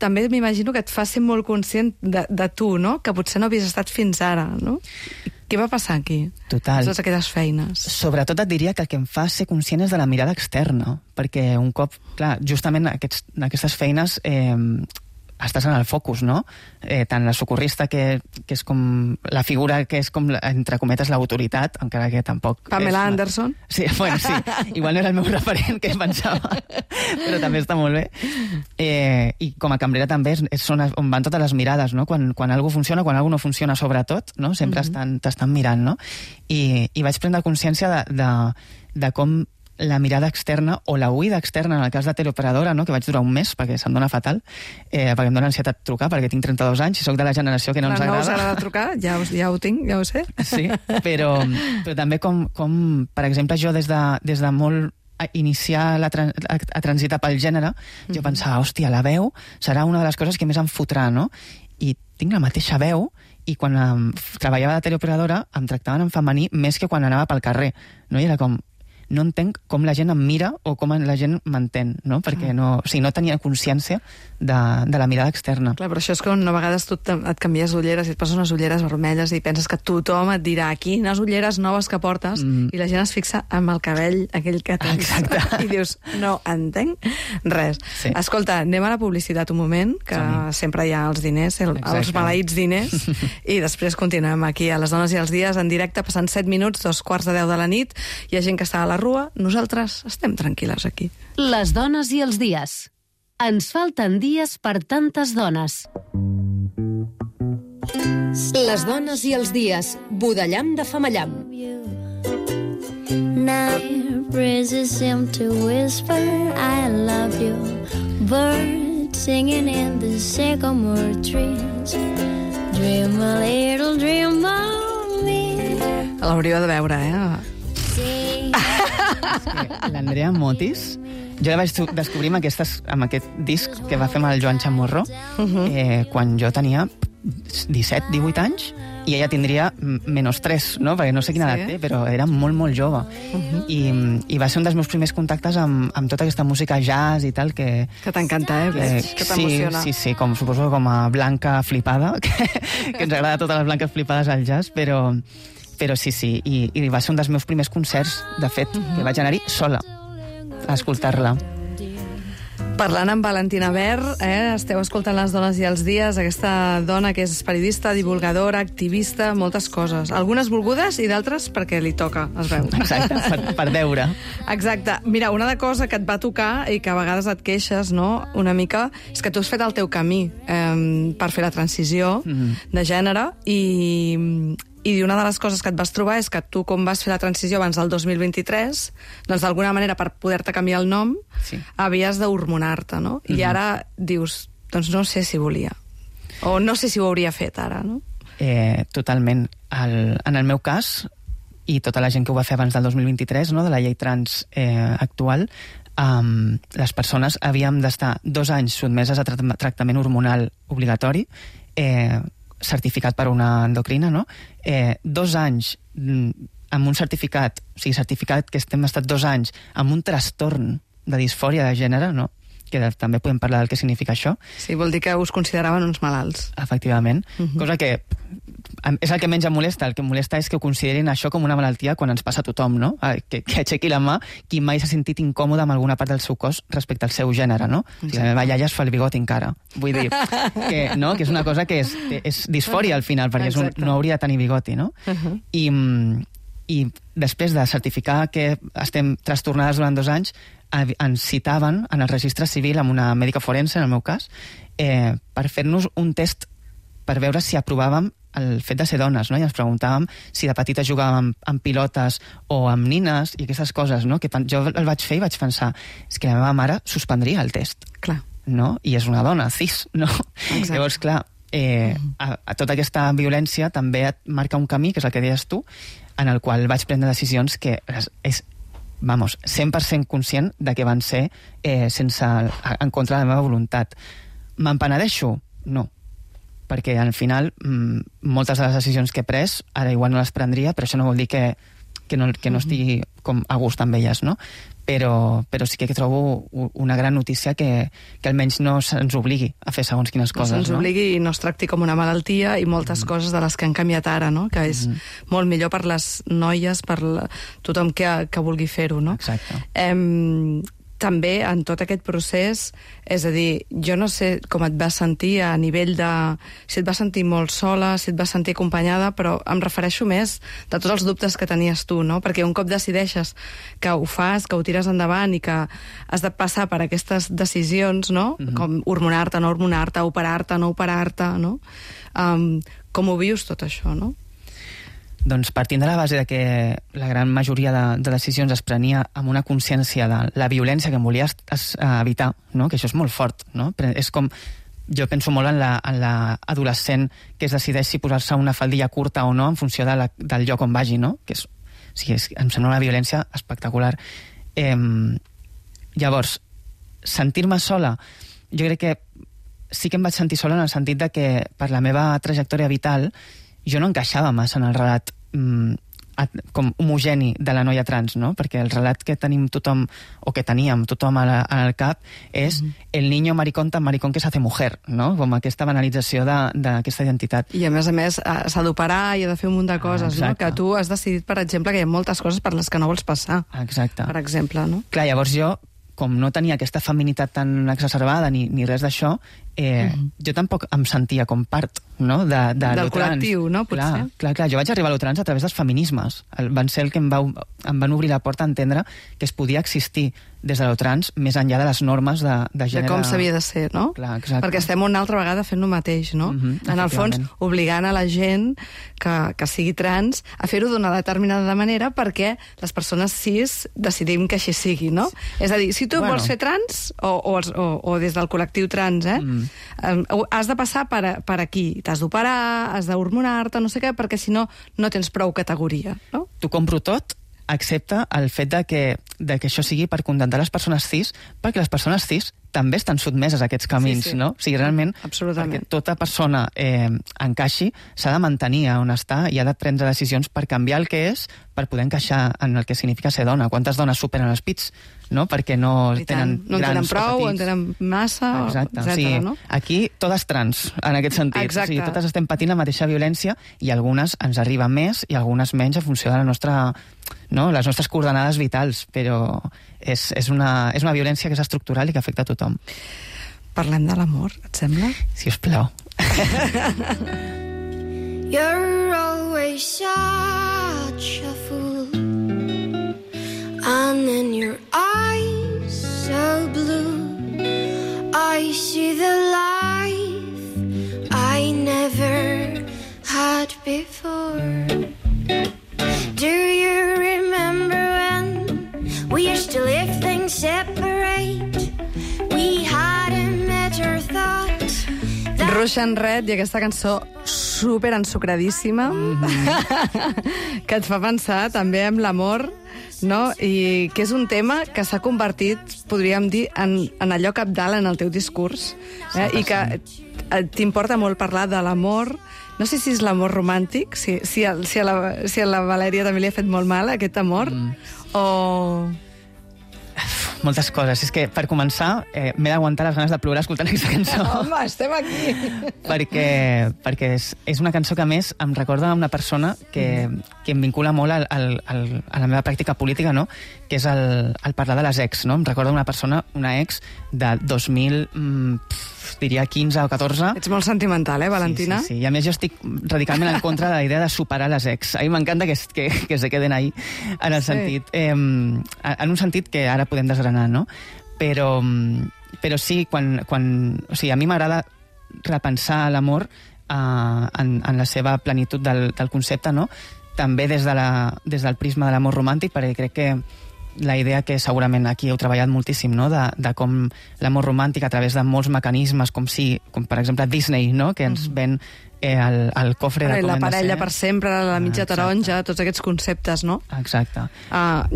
[SPEAKER 1] també m'imagino que et fa ser molt conscient de tu, no? Que potser no havies estat fins ara, no? Què va passar aquí?
[SPEAKER 3] Total.
[SPEAKER 1] Totes aquestes feines.
[SPEAKER 3] Sobretot et diria que el que em fa ser conscient és de la mirada externa, perquè un cop, clar, justament aquestes feines estàs en el focus, no? Tant la socorrista, que és com la figura que és com, entre cometes, l'autoritat, encara que tampoc...
[SPEAKER 1] Pamela Anderson?
[SPEAKER 3] Sí, bueno, sí. Igual no era el meu referent, que pensava, però també està molt bé. I com a cambrera també és on van totes les mirades, no? Quan alguna funciona, quan alguna no funciona, sobretot, no? Sempre t'estan mirant, no? I vaig prendre consciència de com la mirada externa o la huida externa en el cas de teleoperadora, no? Que vaig durar un mes perquè se'm dona fatal, perquè em dona ansietat trucar, perquè tinc 32 anys i soc de la generació que no ens agrada.
[SPEAKER 1] No us agrada trucar? Ja ho tinc, ja ho sé.
[SPEAKER 3] Sí, però també com, per exemple, jo des de molt iniciar a transitar pel gènere, jo pensava, hòstia, la veu serà una de les coses que més em fotrà, no? I tinc la mateixa veu i quan treballava de teleoperadora em tractaven en femení més que quan anava pel carrer, no? I era com, no entenc com la gent em mira o com la gent m'entén, no? Perquè no tenia consciència de la mirada externa.
[SPEAKER 1] Clar, però això és que a vegades tu et canvies ulleres i et poses unes ulleres vermelles i penses que tothom et dirà quines ulleres noves que portes i la gent es fixa amb el cabell aquell que tens.
[SPEAKER 3] Exacte.
[SPEAKER 1] I dius, no entenc res.
[SPEAKER 3] Sí.
[SPEAKER 1] Escolta, anem a la publicitat un moment, que sempre hi ha els diners, els maleïts diners, i després continuem aquí a Les Dones i els Dies en directe, passant 7 minuts, 2:45 de la nit. Hi ha gent que està a la rua, nosaltres estem tranquil·les aquí.
[SPEAKER 7] Les Dones i els Dies. Ens falten dies per tantes dones. Les Dones i els Dies. Budellam de Femallam.
[SPEAKER 4] Night breezes seem to whisper I love you. Birds singing in the sycamore trees. Dream a little dream of me.
[SPEAKER 1] L'hauríeu de veure,
[SPEAKER 3] L'Andrea Motis, jo la vaig descobrir amb aquest disc que va fer amb el Joan Chamorro quan jo tenia 17-18 anys i ella tindria -3, no? Perquè no sé quina edat té, però era molt, molt jove. I va ser un dels meus primers contactes amb tota aquesta música jazz i tal que
[SPEAKER 1] t'encanta, que t'emociona.
[SPEAKER 3] Sí, suposo com a blanca flipada, que ens agrada totes les blanques flipades al jazz, però sí, i va ser un dels meus primers concerts, de fet, que vaig anar-hi sola a escoltar-la.
[SPEAKER 1] Parlant amb Valentina Ver, esteu escoltant Les Dones i els Dies, aquesta dona que és periodista, divulgadora, activista, moltes coses. Algunes volgudes i d'altres perquè li toca, es veu.
[SPEAKER 3] Exacte, per veure.
[SPEAKER 1] Exacte. Mira, una cosa que et va tocar i que a vegades et queixes, no?, una mica, és que tu has fet el teu camí per fer la transició de gènere i una de les coses que et vas trobar és que tu, com vas fer la transició abans del 2023, doncs d'alguna manera, per poder-te canviar el nom, havies d'hormonar-te, no? I ara dius, doncs no sé si volia. O no sé si ho hauria fet ara, no?
[SPEAKER 3] Totalment. En el meu cas, i tota la gent que ho va fer abans del 2023, no, de la llei trans actual, les persones havíem d'estar 2 anys sotmeses a tractament hormonal obligatori, certificat per una endocrina, no? 2 anys amb un certificat, o sigui, certificat que hem estat 2 anys amb un trastorn de disfòria de gènere, no? Que també podem parlar del que significa això.
[SPEAKER 1] Sí, vol dir que us consideraven uns malalts.
[SPEAKER 3] Efectivament. Cosa que és el que menys em molesta. El que em molesta és que ho considerin això com una malaltia quan ens passa a tothom, no? Que aixequi la mà qui mai s'ha sentit incòmode amb alguna part del seu cos respecte al seu gènere, no? O sigui, la meva iaia es fa el bigot encara. Vull dir, que és una cosa que és disfòria al final, perquè no hauria de tenir bigoti, no? I després de certificar que estem trastornades durant 2 anys, ens citaven en el registre civil amb una mèdica forense, en el meu cas, per fer-nos un test per veure si aprovàvem el fet de ser dones, no? I ens preguntàvem si de petita jugàvem amb pilotes o amb nines i aquestes coses, no? Que jo el vaig fer i vaig pensar, és que la meva mare suspendria el test.
[SPEAKER 1] Clar.
[SPEAKER 3] No? I és una dona, cis, no? Exacte. Llavors, clar, a tota aquesta violència també et marca un camí, que és el que deies tu, en el qual vaig prendre decisions que és 100% conscient de que van ser en contra de la meva voluntat. Me'n penedeixo? No. Perquè al final moltes de les decisions que he pres ara igual no les prendria, però això no vol dir que que no estigui com a gust amb elles, no? Però sí que trobo una gran notícia que almenys no se'ns obligui a fer segons quines coses.
[SPEAKER 1] No se'ns obligui i no es tracti com una malaltia i moltes coses de les que han canviat ara, no? Que és molt millor per les noies, per tothom que vulgui fer-ho, no?
[SPEAKER 3] Exacte.
[SPEAKER 1] També en tot aquest procés, és a dir, jo no sé com et vas sentir a nivell de... si et vas sentir molt sola, si et vas sentir acompanyada, però em refereixo més de tots els dubtes que tenies tu, no? Perquè un cop decideixes que ho fas, que ho tires endavant i que has de passar per aquestes decisions, no? Com hormonar-te, no hormonar-te, operar-te, no operar-te, no? Com ho vius tot això, no?
[SPEAKER 3] Doncs partint de la base de que la gran majoria de decisions es prenia amb una consciència de la violència que em volia evitar, no? Que això és molt fort, no? Però és com... Jo penso molt en l'adolescent que es decideix si posar-se una faldilla curta o no en funció del lloc on vagi, no? Que em sembla una violència espectacular. Llavors, sentir-me sola, jo crec que sí que em vaig sentir sola en el sentit de que per la meva trajectòria vital jo no encaixava massa en el relat com homogeni de la noia trans, no? Perquè el relat que tenim tothom, o que teníem tothom al cap, és el niño maricón tan maricón que s'hace mujer, no? Com aquesta banalització d'aquesta identitat.
[SPEAKER 1] I a més s'ha d'operar i ha de fer un munt de coses, no? Que tu has decidit, per exemple, que hi ha moltes coses per les que no vols passar.
[SPEAKER 3] Exacte.
[SPEAKER 1] Per exemple, no?
[SPEAKER 3] Clar, llavors jo, com no tenia aquesta feminitat tan exacerbada ni res d'això, jo tampoc em sentia com part, no?
[SPEAKER 1] Del col·lectiu, no? Potser.
[SPEAKER 3] Clar, jo vaig arribar a lo trans a través dels feminismes. Van ser el que em van obrir la porta a entendre que es podia existir des de lo trans més enllà de les normes de gènere.
[SPEAKER 1] De com s'havia de ser, no?
[SPEAKER 3] Clar, exacte.
[SPEAKER 1] Perquè estem una altra vegada fent el mateix, no? En el fons, obligant a la gent que sigui trans a fer-ho d'una determinada manera perquè les persones cis decidim que així sigui, no? És a dir, si tu vols ser trans, o des del col·lectiu trans, has de passar per aquí. T'has d'operar, has d'hormonar-te, no sé què, perquè si no, no tens prou categoria, no?
[SPEAKER 3] T'ho compro tot, excepte el fet de que això sigui per contentar les persones cis, perquè les persones cis també estan sotmeses a aquests camins, no? O sigui, realment, perquè tota persona encaixi, s'ha de mantenir on està i ha de prendre decisions per canviar el que és, per poder encaixar en el que significa ser dona. Quantes dones superen els pits, no? Perquè no tenen grans o petits.
[SPEAKER 1] No en tenen prou, en tenen massa, etcètera, no?
[SPEAKER 3] Aquí totes trans, en aquest sentit.
[SPEAKER 1] Exacte.
[SPEAKER 3] O sigui, totes estem patint la mateixa violència i algunes ens arriben més i algunes menys en funció de la nostra... no? Les nostres coordenades vitals, però és una violència que és estructural i que afecta a tothom.
[SPEAKER 1] Parlem de l'amor, et sembla?
[SPEAKER 3] Si us plau.
[SPEAKER 4] You're always such a fool, and in your eyes so blue I see the life I never had before. Do you remember when we used to live things separate? We hadn't met or thought.
[SPEAKER 1] Russian Red i aquesta cançó super ensucradíssima que et fa pensar també en l'amor, no? I que és un tema que s'ha convertit, podríem dir, en allò cabdal en el teu discurs, i que t'importa molt parlar de l'amor. No sé si és l'amor romàntic, si a la Valèria també li ha fet molt mal aquest amor, o...
[SPEAKER 3] Moltes coses. És que, per començar, m'he d'aguantar les ganes de plorar escoltant aquesta cançó.
[SPEAKER 1] Home, estem aquí!
[SPEAKER 3] perquè és una cançó que, a més, em recorda una persona que em vincula molt a la meva pràctica política, no? Que és el parlar de les ex, no? Em recorda una ex de 2000... diria 15 o 14.
[SPEAKER 1] Ets molt sentimental, Valentina?
[SPEAKER 3] Sí. I a més jo estic radicalment en contra de la idea de superar les ex. A mi m'encanta que se queden ahí, en el sentit... en un sentit que ara podem desgranar, no? Però sí, o sigui, a mi m'agrada repensar l'amor en la seva plenitud del concepte, no? També des del prisma de l'amor romàntic, perquè crec que la idea que segurament aquí heu treballat moltíssim, no? De com l'amor romàntic a través de molts mecanismes, com per exemple Disney, no? Que ens ven el cofre de com
[SPEAKER 1] la
[SPEAKER 3] hem de ser.
[SPEAKER 1] parella per sempre, la mitja taronja, tots aquests conceptes, no?
[SPEAKER 3] Exacte.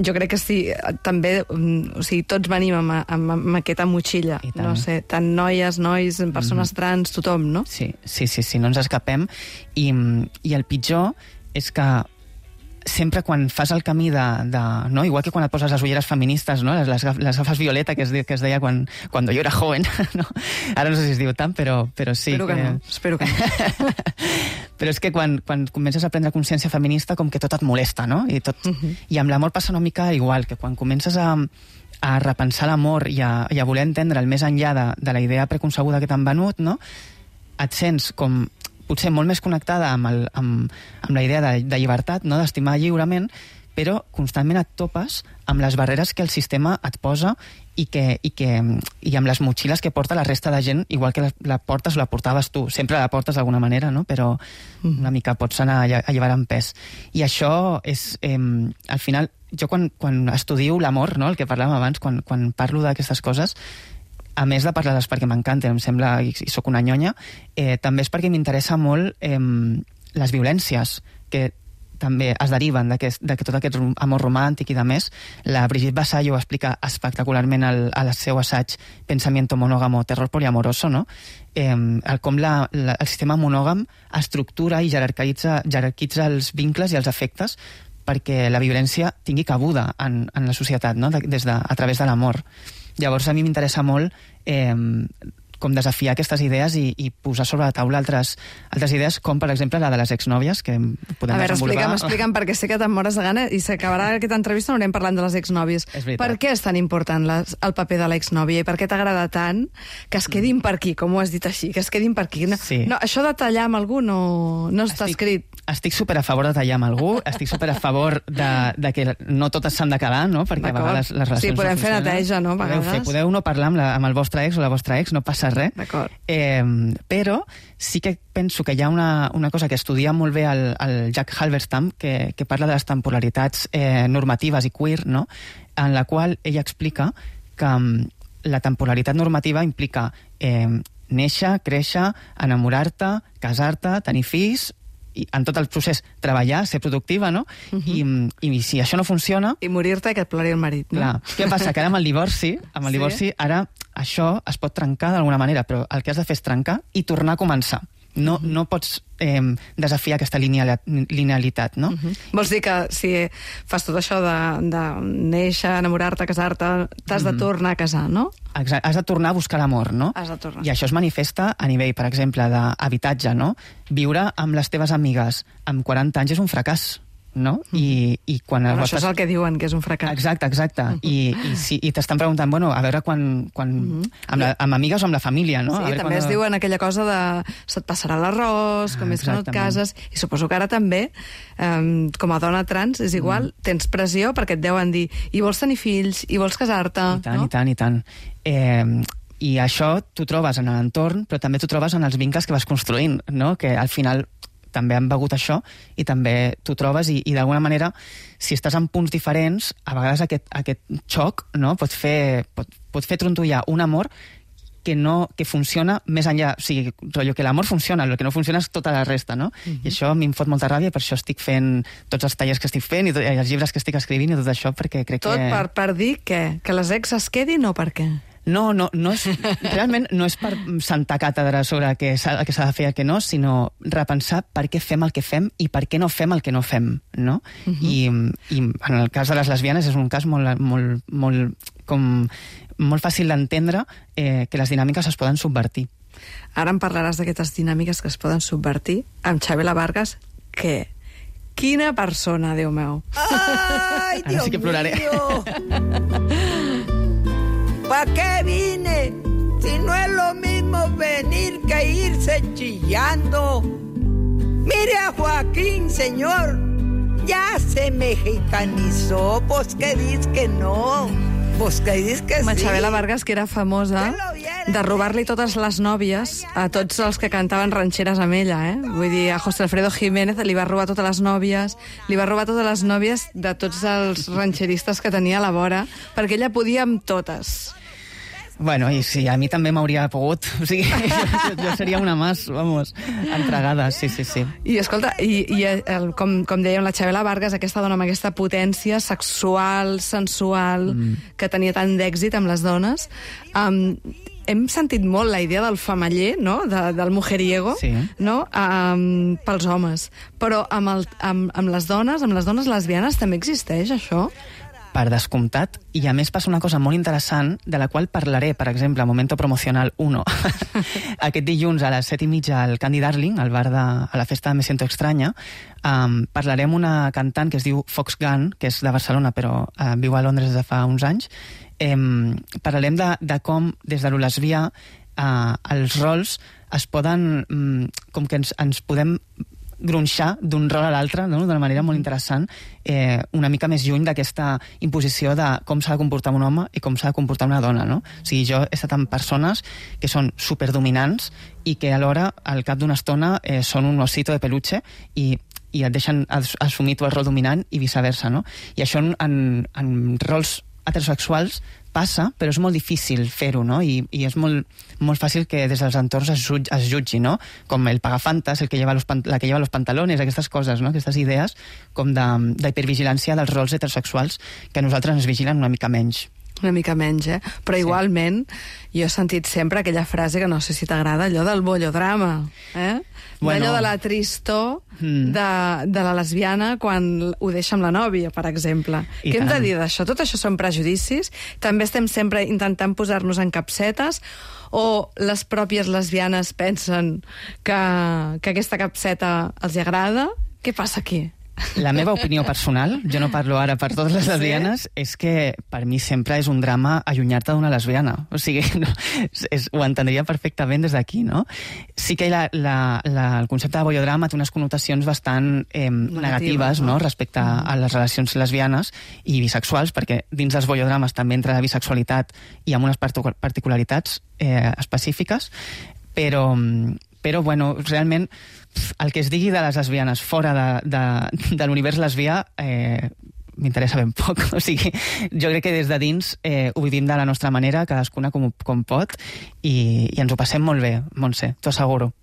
[SPEAKER 1] Jo crec que sí, també, o sigui, tots venim amb aquesta motxilla, no sé, tant noies, nois, persones trans, tothom, no?
[SPEAKER 3] Sí, no ens escapem. I el pitjor és que sempre quan fas el camí no? Igual que quan et poses les ulleres feministes, no? les gafes violeta que es deia quan jo era joven, no? Ara no sé si es diu tant, però sí.
[SPEAKER 1] Espero que no.
[SPEAKER 3] Però és que quan comences a prendre consciència feminista com que tot et molesta, no? I amb l'amor passa una mica igual, que quan comences a repensar l'amor i a voler entendre el més enllà de la idea preconcebuda que t'han venut, no? Et sents com potser molt més connectada amb la idea de llibertat, no? D'estimar lliurement, però constantment et topes amb les barreres que el sistema et posa i amb les motxilles que porta la resta de gent, igual que la portes o la portaves tu. Sempre la portes d'alguna manera, no? Però una mica pots anar alliberant pes. I això és... al final, jo quan estudio l'amor, no? El que parlàvem abans, quan parlo d'aquestes coses, a més de parlar-les perquè m'encanten, em sembla, i sóc una nyonya, també és perquè m'interessa molt les violències que també es deriven de tot aquest amor romàntic i de més. La Brigitte Vasallo ho explica espectacularment al seu assaig Pensamiento monógamo, terror poliamoroso, no? Com el sistema monògam estructura i jerarquitza els vincles i els afectes perquè la violència tingui cabuda en la societat, no? A través de l'amor. Llavors a mi m'interessa molt com desafiar aquestes idees i posar sobre la taula altres idees, com per exemple la de les exnòvies, que podem desenvolupar.
[SPEAKER 1] Explica'm, perquè sé que te'n mores de gana i s'acabarà aquesta entrevista, no anem parlant de les exnòvies. Per què és tan important el paper de l'exnòvia i per què t'agrada tant que es quedin per aquí, com ho has dit així, que es quedin per aquí?
[SPEAKER 3] Sí.
[SPEAKER 1] No, això de tallar amb algú no està escrit.
[SPEAKER 3] Estic super a favor de tallar amb algú, estic super a favor de que no totes s'han de quedar, no? Perquè a vegades les relacions
[SPEAKER 1] sí, podem fer neteja, no?
[SPEAKER 3] Podeu no parlar amb el vostre ex o la vostra ex, no passa res.
[SPEAKER 1] D'acord.
[SPEAKER 3] Però sí que penso que hi ha una cosa que estudia molt bé el Jack Halberstam, que parla de les temporalitats normatives i queer, no? En la qual ella explica que la temporalitat normativa implica néixer, créixer, enamorar-te, casar-te, tenir fills, i en tot el procés treballar, ser productiva, no? I si això no funciona...
[SPEAKER 1] I morir-te i que et plori el marit, no?
[SPEAKER 3] Clar. Què passa? Que ara amb el divorci, ara això es pot trencar d'alguna manera, però el que has de fer és trencar i tornar a començar. No pots desafiar aquesta linealitat, no?
[SPEAKER 1] Vols dir que si fas tot això de néixer, enamorar-te, casar-te, t'has de tornar a casar, no?
[SPEAKER 3] Exacte, has de tornar a buscar l'amor, no?
[SPEAKER 1] Has de tornar.
[SPEAKER 3] I això es manifesta a nivell, per exemple, d'habitatge, no? Viure amb les teves amigues amb 40 anys és un fracàs, no? I quan
[SPEAKER 1] això és el que diuen, que és un fracàs.
[SPEAKER 3] Exacte. I t'estan preguntant, bueno, a veure amb amigues o amb la família, no?
[SPEAKER 1] Sí, també es diuen aquella cosa de se't passarà l'arròs, com és que no et cases, i suposo que ara també, com a dona trans, és igual, tens pressió perquè et deuen dir i vols tenir fills, i vols casar-te, no?
[SPEAKER 3] I tant. I això t'ho trobes en l'entorn, però també t'ho trobes en els vincles que vas construint, no? Que al final també han begut això i també t'ho trobes i d'alguna manera, si estàs en punts diferents, a vegades aquest xoc, no? pot fer trontollar un amor que funciona més enllà. O sigui, que l'amor funciona, el que no funciona és tota la resta, no? I això a mi em fot molta ràbia, per això estic fent tots els tallers que estic fent i els llibres que estic escrivint i tot això, perquè crec que...
[SPEAKER 1] Tot per dir què? Que les ex es quedin o per què?
[SPEAKER 3] No és, realment no és per sentar càtedra sobre el que s'ha de fer i el que no, sinó repensar per què fem el que fem i per què no fem el que no fem, no? I en el cas de les lesbianes és un cas molt fàcil d'entendre que les dinàmiques es poden subvertir.
[SPEAKER 1] Ara em parlaràs d'aquestes dinàmiques que es poden subvertir amb Chabela Vargas, que... Quina persona, Déu meu!
[SPEAKER 5] Ai, Dios mío!
[SPEAKER 3] Ara sí que ploraré.
[SPEAKER 5] ¿Para qué vine? Si no es lo mismo venir que irse chillando. Mire a Joaquín, señor, ya se mexicanizó, pues que dices que no, pues que dices que sí.
[SPEAKER 1] Chabela Vargas, que era famosa de robar-li totes les nòvies a tots els que cantaven ranxeres amb ella, eh? Vull dir, a José Alfredo Jiménez li va robar totes les nòvies, li va robar totes les nòvies de tots els ranxeristes que tenia a la vora, perquè ella podia amb totes.
[SPEAKER 3] Bueno, i sí, a mi també m'hauria pogut. O sigui, jo seria una más, vamos, entregada, sí.
[SPEAKER 1] I escolta, com dèiem, la Chabela Vargas, aquesta dona amb aquesta potència sexual, sensual, que tenia tant d'èxit amb les dones, hem sentit molt la idea del famaller, no? Del mujeriego,
[SPEAKER 3] Sí.
[SPEAKER 1] no? Pels homes. Però amb les dones lesbianes també existeix això?
[SPEAKER 3] Per descomptat, i a més passa una cosa molt interessant, de la qual parlaré, per exemple, a Momento Promocional 1, aquest dilluns a les 7:30 al Candy Darling, al bar a la festa Me Siento Extraña. Parlaré amb una cantant que es diu Fox Gunn, que és de Barcelona, però viu a Londres des de fa uns anys. Parlarem de com, des de lo lesbià, els rols es poden... com que ens podem gronxar d'un rol a l'altre, no? D'una manera molt interessant, una mica més lluny d'aquesta imposició de com s'ha de comportar un home i com s'ha de comportar una dona, no? O sigui, jo he estat amb persones que són superdominants i que alhora, al cap d'una estona, són un osito de peluche i et deixen assumir tu el rol dominant i viceversa, no? I això en rols heterosexuals passa, però és molt difícil fer-ho, no? I és molt fàcil que des dels entorns es jutgi, no? Com el pagafantas, la que lleva los pantalones, aquestes coses, no? Aquestes idees com d'hipervigilància dels rols heterosexuals que a nosaltres ens vigilen una mica menys.
[SPEAKER 1] Una mica menys, Però igualment, jo he sentit sempre aquella frase que no sé si t'agrada, allò del bollodrama, Allò de la tristor de la lesbiana quan ho deixa amb la nòvia, per exemple. Què hem de dir d'això? Tot això són prejudicis? També estem sempre intentant posar-nos en capsetes? O les pròpies lesbianes pensen que aquesta capseta els agrada? Què passa aquí?
[SPEAKER 3] La meva opinió personal, jo no parlo ara per totes les lesbianes, és que per mi sempre és un drama allunyar-te d'una lesbiana. O sigui, ho entendria perfectament des d'aquí, no? Sí que el concepte de bollodrama té unes connotacions bastant negatives, no? Respecte a les relacions lesbianes i bisexuals, perquè dins dels bollodrames també entra la bisexualitat i amb unes particularitats específiques, però bueno, realment el que es digui de les lesbianes fora de l'univers lesbià m'interessa ben poc. O sigui, jo crec que des de dins ho vivim de la nostra manera, cadascuna com pot, i ens ho passem molt bé, Montse, t'ho asseguro.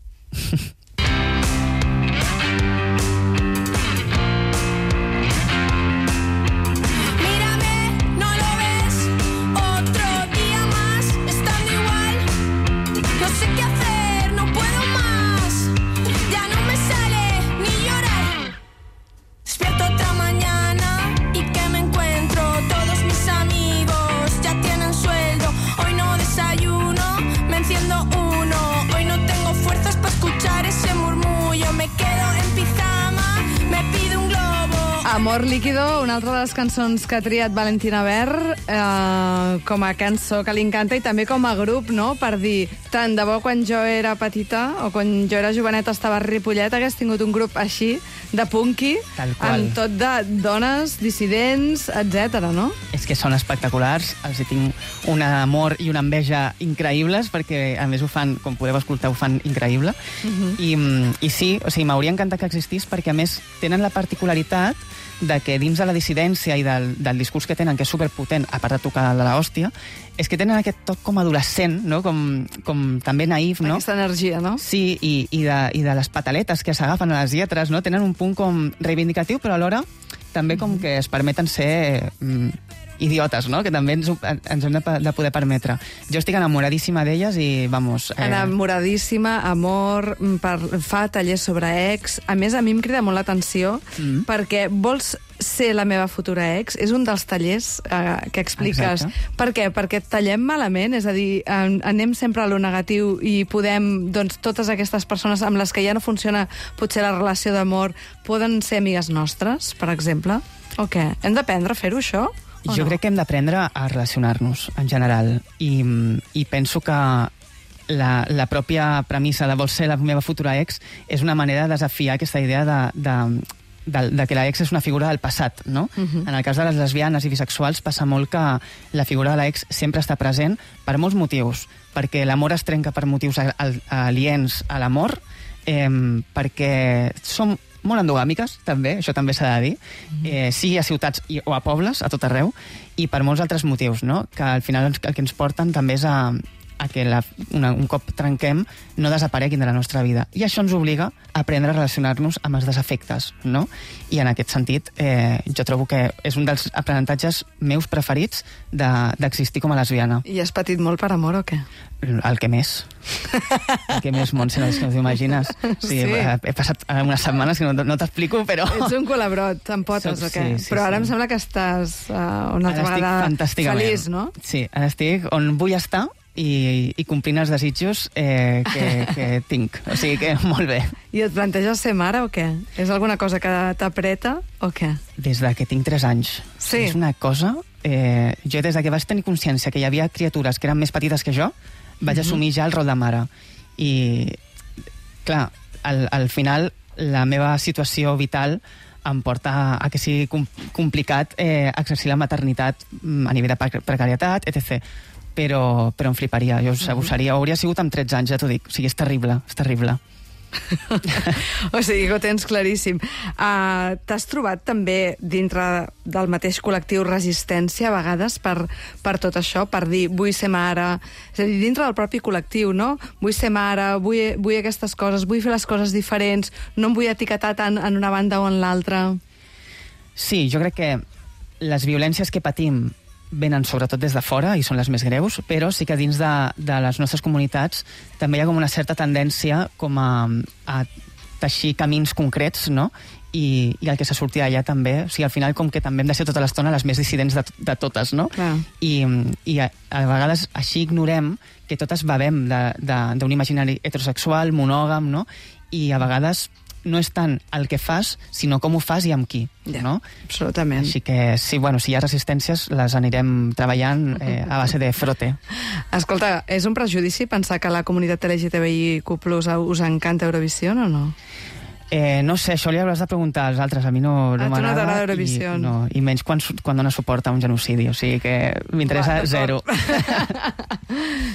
[SPEAKER 1] Amor líquido, una altra de les cançons que ha triat Valentina Ver com a cançó que li encanta i també com a grup, no? Per dir, tant de bo quan jo era petita o quan jo era joveneta estava a Ripollet hagués tingut un grup així, de punky, amb tot de dones, dissidents, etc, no?
[SPEAKER 3] És que són espectaculars, els hi tinc un amor i una enveja increïbles, perquè a més ho fan, com podeu escoltar, ho fan increïble. I sí, o sigui, m'hauria encantat que existís perquè a més tenen la particularitat de que dins de la dissidència i del discurs que tenen, que és superpotent, a part de tocar de l'hòstia, és que tenen aquest toc com adolescent, no? Com també naïf, no?
[SPEAKER 1] Aquesta energia, no?
[SPEAKER 3] Sí, i de les pataletes que s'agafen a les lletres, no? Tenen un punt com reivindicatiu, però alhora també com que es permeten ser idiotes, no? Que també ens hem de poder permetre. Jo estic enamoradíssima d'elles i, vamos...
[SPEAKER 1] Enamoradíssima, amor, fa tallers sobre ex. A més, a mi em crida molt l'atenció perquè vols ser la meva futura ex, és un dels tallers que expliques.
[SPEAKER 3] Exacte.
[SPEAKER 1] Per què? Perquè tallem malament, és a dir, anem sempre a lo negatiu i podem, doncs, totes aquestes persones amb les que ja no funciona potser la relació d'amor, poden ser amigues nostres, per exemple? O què? Hem d'aprendre a fer-ho, això?
[SPEAKER 3] Jo crec que hem d'aprendre a relacionar-nos, en general, i penso que la pròpia premissa de vols ser la meva futura ex és una manera de desafiar aquesta idea de que l'ex és una figura del passat, no? En el cas de les lesbianes i bisexuals passa molt que la figura de l'ex sempre està present per molts motius, perquè l'amor es trenca per motius aliens a l'amor, perquè som molt endogàmiques, també, això també s'ha de dir, sigui a ciutats o a pobles, a tot arreu, i per molts altres motius, no? Que al final el que ens porten també és a a que un cop trenquem no desapareguin de la nostra vida. I això ens obliga a aprendre a relacionar-nos amb els desafectes, no? I en aquest sentit, jo trobo que és un dels aprenentatges meus preferits d'existir com a lesbiana.
[SPEAKER 1] I has patit molt per amor o què?
[SPEAKER 3] El que més. El que més, Montse, no t'ho imagines. Sí. He passat unes setmanes que no t'explico, però...
[SPEAKER 1] Ets un colabrot, amb potes o què?
[SPEAKER 3] Sí,
[SPEAKER 1] però ara em sembla que estàs una altra vegada feliç, no?
[SPEAKER 3] Sí, ara estic on vull estar i complint els desitjos que tinc. O sigui que molt bé.
[SPEAKER 1] I et planteges ser mare o què? És alguna cosa que t'apreta o què?
[SPEAKER 3] Des de que tinc 3 anys.
[SPEAKER 1] Sí.
[SPEAKER 3] És una cosa... jo des de que vaig tenir consciència que hi havia criatures que eren més petites que jo, vaig assumir ja el rol de mare. I, clar, al final la meva situació vital em porta a que sigui complicat exercir la maternitat a nivell de precarietat, etc. Però em fliparia. Jo hauria sigut amb 13 anys, ja t'ho dic. O sigui, és terrible, és terrible.
[SPEAKER 1] O sigui que ho tens claríssim. T'has trobat també dintre del mateix col·lectiu resistència a vegades per tot això, per dir vull ser mare, és a dir, dintre del propi col·lectiu, no? Vull ser mare, vull aquestes coses, vull fer les coses diferents, no em vull etiquetar tant en una banda o en l'altra.
[SPEAKER 3] Sí, jo crec que les violències que patim venen sobretot des de fora i són les més greus, però sí que dins de les nostres comunitats també hi ha com una certa tendència com a teixir camins concrets, no? I el que s'ha sortit allà també, o sigui, al final com que també hem de ser tota l'estona les més dissidents de totes, no? I a vegades així ignorem que totes bevem d'un imaginari heterosexual, monògam, no? I a vegades no és tant el que fas, sinó com ho fas i amb qui, no?
[SPEAKER 1] Absolutament.
[SPEAKER 3] Així que, sí, bueno, si hi ha resistències, les anirem treballant a base de frote.
[SPEAKER 1] Escolta, és un prejudici pensar que la comunitat LGTBIQ+ us encanta Eurovisió o no?
[SPEAKER 3] No sé, això li hauràs de preguntar als altres. A mi no m'agrada.
[SPEAKER 1] A tu no t'agrada Eurovisió.
[SPEAKER 3] I menys quan dona suport a un genocidi. O sigui que m'interessa zero.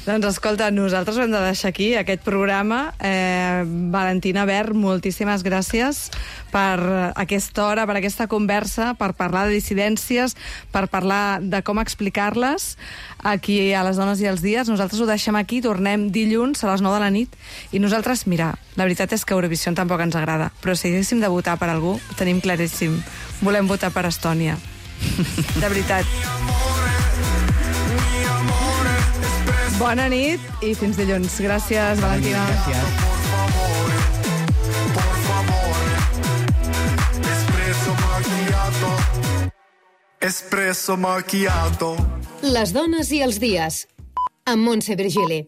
[SPEAKER 1] Doncs escolta, nosaltres ho hem de deixar aquí, aquest programa. Valentina Bert, moltíssimes gràcies per aquesta hora, per aquesta conversa, per parlar de dissidències, per parlar de com explicar-les aquí a Les Dones i els Dies. Nosaltres ho deixem aquí, tornem dilluns a les 9 de la nit. I nosaltres, mira, la veritat és que Eurovisió tampoc ens agrada, però si haguéssim de votar per algú, ho tenim claríssim. Volem votar per Estònia. De veritat. Bona nit i fins dilluns. Gràcies, Valentina.
[SPEAKER 3] Gràcies.
[SPEAKER 5] Espresso macchiato.
[SPEAKER 7] Les dones i els dies, amb Montse Virgili.